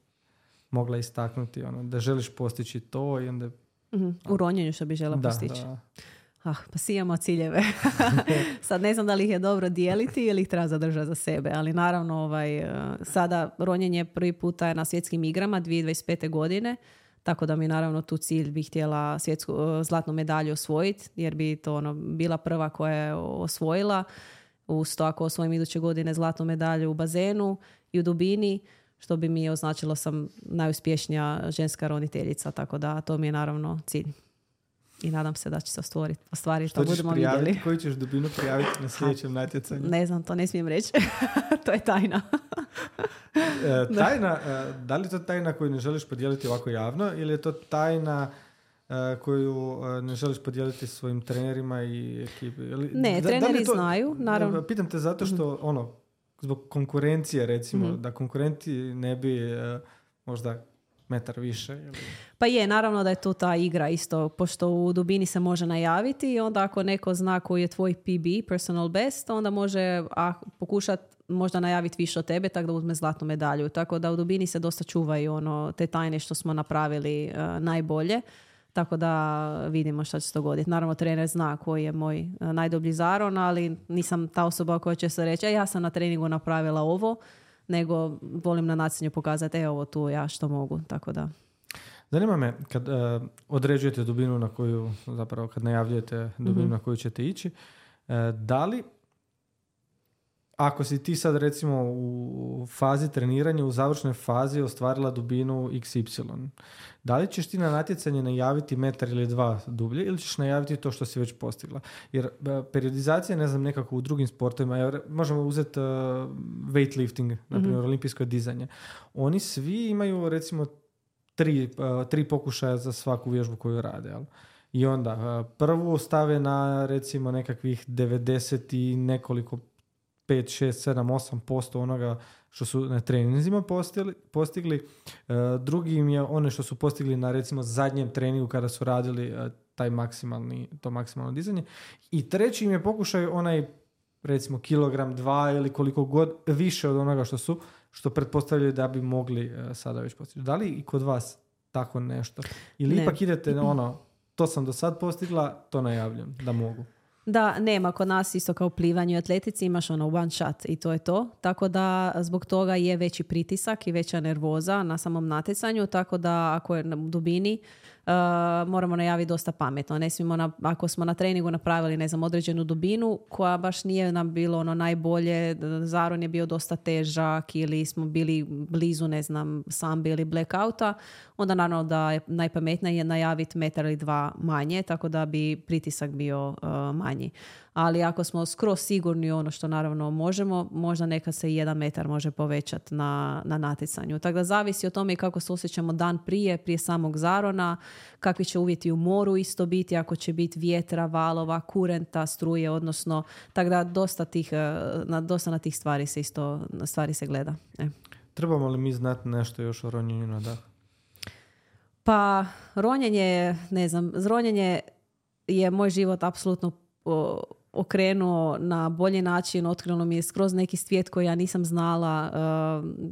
mogla istaknuti, da želiš postići to i onda... U ronjenju što bi žela postići. Da. Pa svi imamo ciljeve. Sad ne znam da li ih je dobro dijeliti ili ih treba zadržati za sebe, ali naravno sada ronjenje prvi puta je na svjetskim igrama 2025. godine, tako da mi naravno tu cilj bih htjela zlatnu medalju osvojiti, jer bi to bila prva koja je osvojila. Uz to ako osvojim iduće godine zlatnu medalju u bazenu i u dubini, što bi mi označilo sam najuspješnija ženska roniteljica, tako da to mi je naravno cilj. I nadam se da će se ostvariti. Što ćeš prijaviti? Koju ćeš dubinu prijaviti na sljedećem natjecanju? Ne znam, to ne smijem reći. To je tajna. Tajna, da li je to tajna koju ne želiš podijeliti ovako javno ili je to tajna koju ne želiš podijeliti svojim trenerima i ekipi? Ne, treneri znaju, naravno. Pitam te zato što zbog konkurencije recimo, da konkurenti ne bi možda metar više. Ili... Pa je, naravno da je tu ta igra isto, pošto u dubini se može najaviti i onda ako neko zna koji je tvoj PB, personal best, onda može pokušati možda najaviti više od tebe, tako da uzme zlatnu medalju. Tako da u dubini se dosta čuvaju te tajne što smo napravili najbolje. Tako da vidimo šta će se dogoditi. Naravno, trener zna koji je moj najdoblji zaron, ali nisam ta osoba koja će se reći ja sam na treningu napravila ovo, nego volim na natjecanju pokazati ovo tu ja što mogu. Tako da. Zanima me, kad određujete dubinu na koju, zapravo kad najavljujete dubinu na koju ćete ići, da li ako si ti sad recimo u fazi treniranja, u završnoj fazi ostvarila dubinu XY, da li ćeš ti na natjecanje najaviti metar ili dva dublje ili ćeš najaviti to što si već postigla? Jer periodizacija, ne znam, nekako u drugim sportovima, možemo uzeti weightlifting, na primjer olimpijsko dizanje. Oni svi imaju recimo tri pokušaja za svaku vježbu koju rade, jel? I onda prvu stave na recimo nekakvih 90 i nekoliko 5, 6, 7, 8% onoga što su na treninzima postigli. Drugi im je one što su postigli na recimo zadnjem treningu kada su radili to maksimalno dizanje. I treći im je pokušaj onaj recimo kilogram, 2 ili koliko god više od onoga što pretpostavljaju da bi mogli sada već postići. Da li i kod vas tako nešto? Ili ipak idete to sam do sad postigla, to najavljam da mogu? Da, nema. Kod nas isto kao plivanju i atletici imaš one shot i to je to. Tako da zbog toga je veći pritisak i veća nervoza na samom natjecanju. Tako da ako je na dubini moramo najaviti dosta pametno. Ne smijemo ako smo na treningu napravili određenu dubinu koja baš nije nam bilo najbolje, zaron je bio dosta težak ili smo bili blizu sambi ili blackouta, onda naravno da je najpametnije najaviti metar ili dva manje, tako da bi pritisak bio manji. Ali ako smo skroz sigurni ono što naravno možemo, možda nekad se 1 metar može povećati na natjecanju. Tako da zavisi o tome kako se osjećamo dan prije samog zarona, kakvi će uvjeti u moru isto biti, ako će biti vjetra, valova, kurenta, struje, odnosno, tako da dosta na tih stvari se gleda. Trebamo li mi znati nešto još o ronjenju na dah? Pa, ronjenje je moj život apsolutno okrenuo na bolji način, otkrilo mi je skroz neki svijet koji ja nisam znala.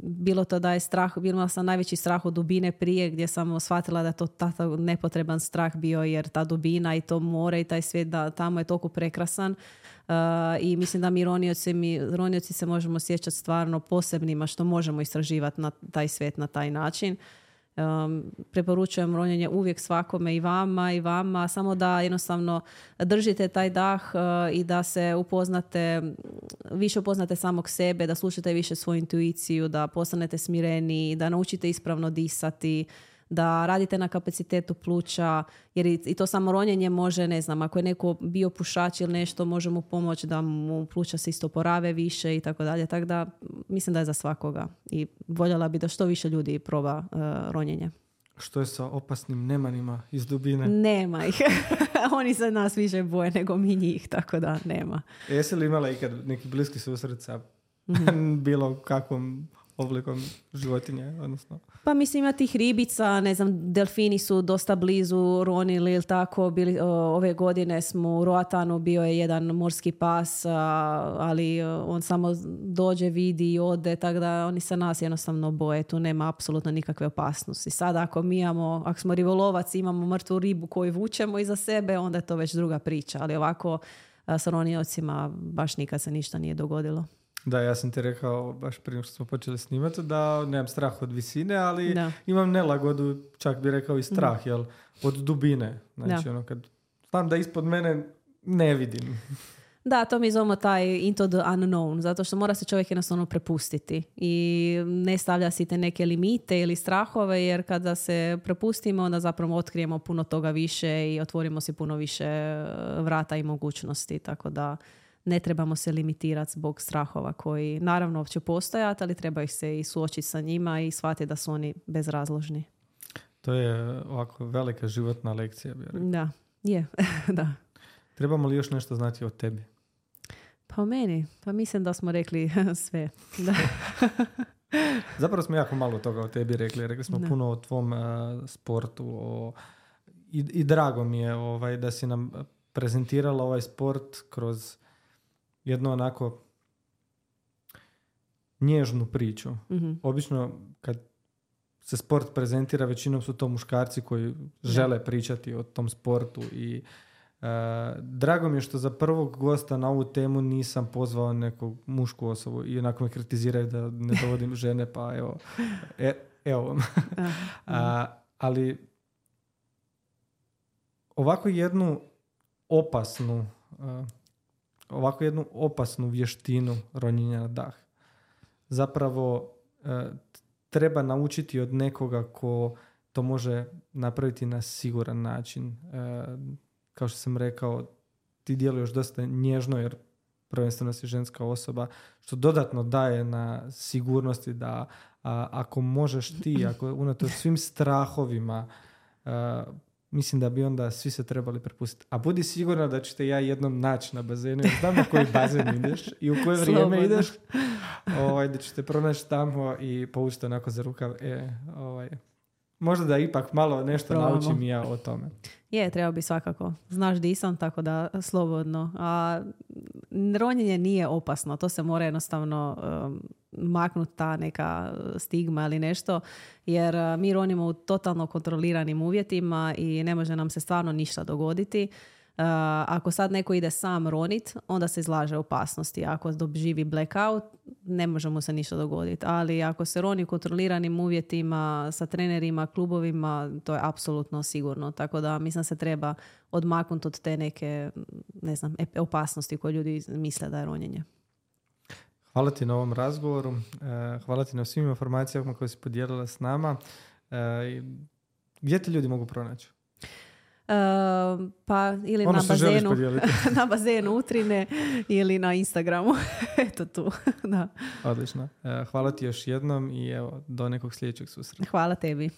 Bilo to da je strah, bila sam najveći strah od dubine prije, gdje sam shvatila da je to takav nepotreban strah bio, jer ta dubina i to more i taj svijet da tamo je toliko prekrasan. I mislim da mi ronioci se možemo sjećati stvarno posebnima što možemo istraživati na taj svijet na taj način. Preporučujem ronjenje uvijek svakome i vama, samo da jednostavno držite taj dah i da se više upoznate samog sebe, da slušate više svoju intuiciju, da postanete smireni, da naučite ispravno disati, da radite na kapacitetu pluća, jer i to samo ronjenje može, ne znam, ako je neko bio pušač ili nešto, može mu pomoći da mu pluća se isto porave više i tako dalje. Tako da mislim da je za svakoga i voljela bi da što više ljudi proba ronjenje. Što je sa opasnim nemanima iz dubine? Nema ih. Oni se nas više boje nego mi njih, tako da nema. Jesi li imala ikad neki bliski susret sa bilo kakvom oblikom životinje, odnosno? Pa mislim, ima tih ribica, ne znam, delfini su dosta blizu ronili ili tako. Ove godine smo u Roatanu, bio je jedan morski pas, ali on samo dođe, vidi i ode, tako da oni se nas jednostavno boje. Tu nema apsolutno nikakve opasnosti. Sada ako smo ribolovac, imamo mrtvu ribu koju vučemo iza sebe, onda je to već druga priča. Ali ovako sa roniocima baš nikad se ništa nije dogodilo. Da, ja sam ti rekao baš prije što smo počeli snimati da nemam strah od visine, ali imam nelagodu, čak bi rekao i strah, jel, od dubine. Znači, kad znam da ispod mene ne vidim. Da, to mi zovemo taj into the unknown, zato što mora se čovjek jednostavno prepustiti i ne stavlja si te neke limite ili strahove, jer kada se prepustimo, onda zapravo otkrijemo puno toga više i otvorimo si puno više vrata i mogućnosti, tako da ne trebamo se limitirati zbog strahova koji naravno će postojati, ali treba ih se i suočiti sa njima i shvatiti da su oni bezrazložni. To je ovako velika životna lekcija. Da, je. Da. Trebamo li još nešto znati o tebi? Pa o meni? Pa mislim da smo rekli sve. Da. Zapravo smo jako malo toga o tebi rekli. Rekli smo puno o tvom sportu. I drago mi je da si nam prezentirala ovaj sport kroz jednu onako nježnu priču. Mm-hmm. Obično kad se sport prezentira, većinom su to muškarci koji žele pričati o tom sportu i drago mi je što za prvog gosta na ovu temu nisam pozvao neku mušku osobu i onako me kritiziraju da ne dovodim žene, pa evo. Ali ovako jednu opasnu vještinu ronjenja na dah zapravo treba naučiti od nekoga ko to može napraviti na siguran način. Kao što sam rekao, ti djeluješ dosta nježno jer prvenstveno si ženska osoba, što dodatno daje na sigurnosti da ako možeš ti, ako unatoč svim strahovima, mislim da bi onda svi se trebali prepustiti. A budi sigurna da ćete ja jednom naći na bazenu. Jer znam na koji bazen ideš i u koje vrijeme ideš. Da ćete pronaći tamo i povučiti onako za rukav. Možda da ipak malo nešto naučim ja o tome. Je, treba bi svakako. Znaš di sam, tako da slobodno. A ronjenje nije opasno. To se mora jednostavno maknuti ta neka stigma ili nešto. Jer mi ronimo u totalno kontroliranim uvjetima i ne može nam se stvarno ništa dogoditi. Ako sad neko ide sam ronit, onda se izlaže opasnosti. Ako doživi blackout, ne može mu se ništa dogoditi. Ali ako se roni u kontroliranim uvjetima sa trenerima, klubovima, to je apsolutno sigurno. Tako da mislim se treba odmaknuti od te neke, ne znam, opasnosti koje ljudi misle da je ronjenje. Hvala ti na ovom razgovoru. Hvala ti na svim informacijama koje si podijelila s nama. Gdje ti ljudi mogu pronaći? Pa ili na bazenu Utrine ili na Instagramu. Eto tu. Da. Odlično. Hvala ti još jednom i evo, do nekog sljedećeg susreta. Hvala tebi.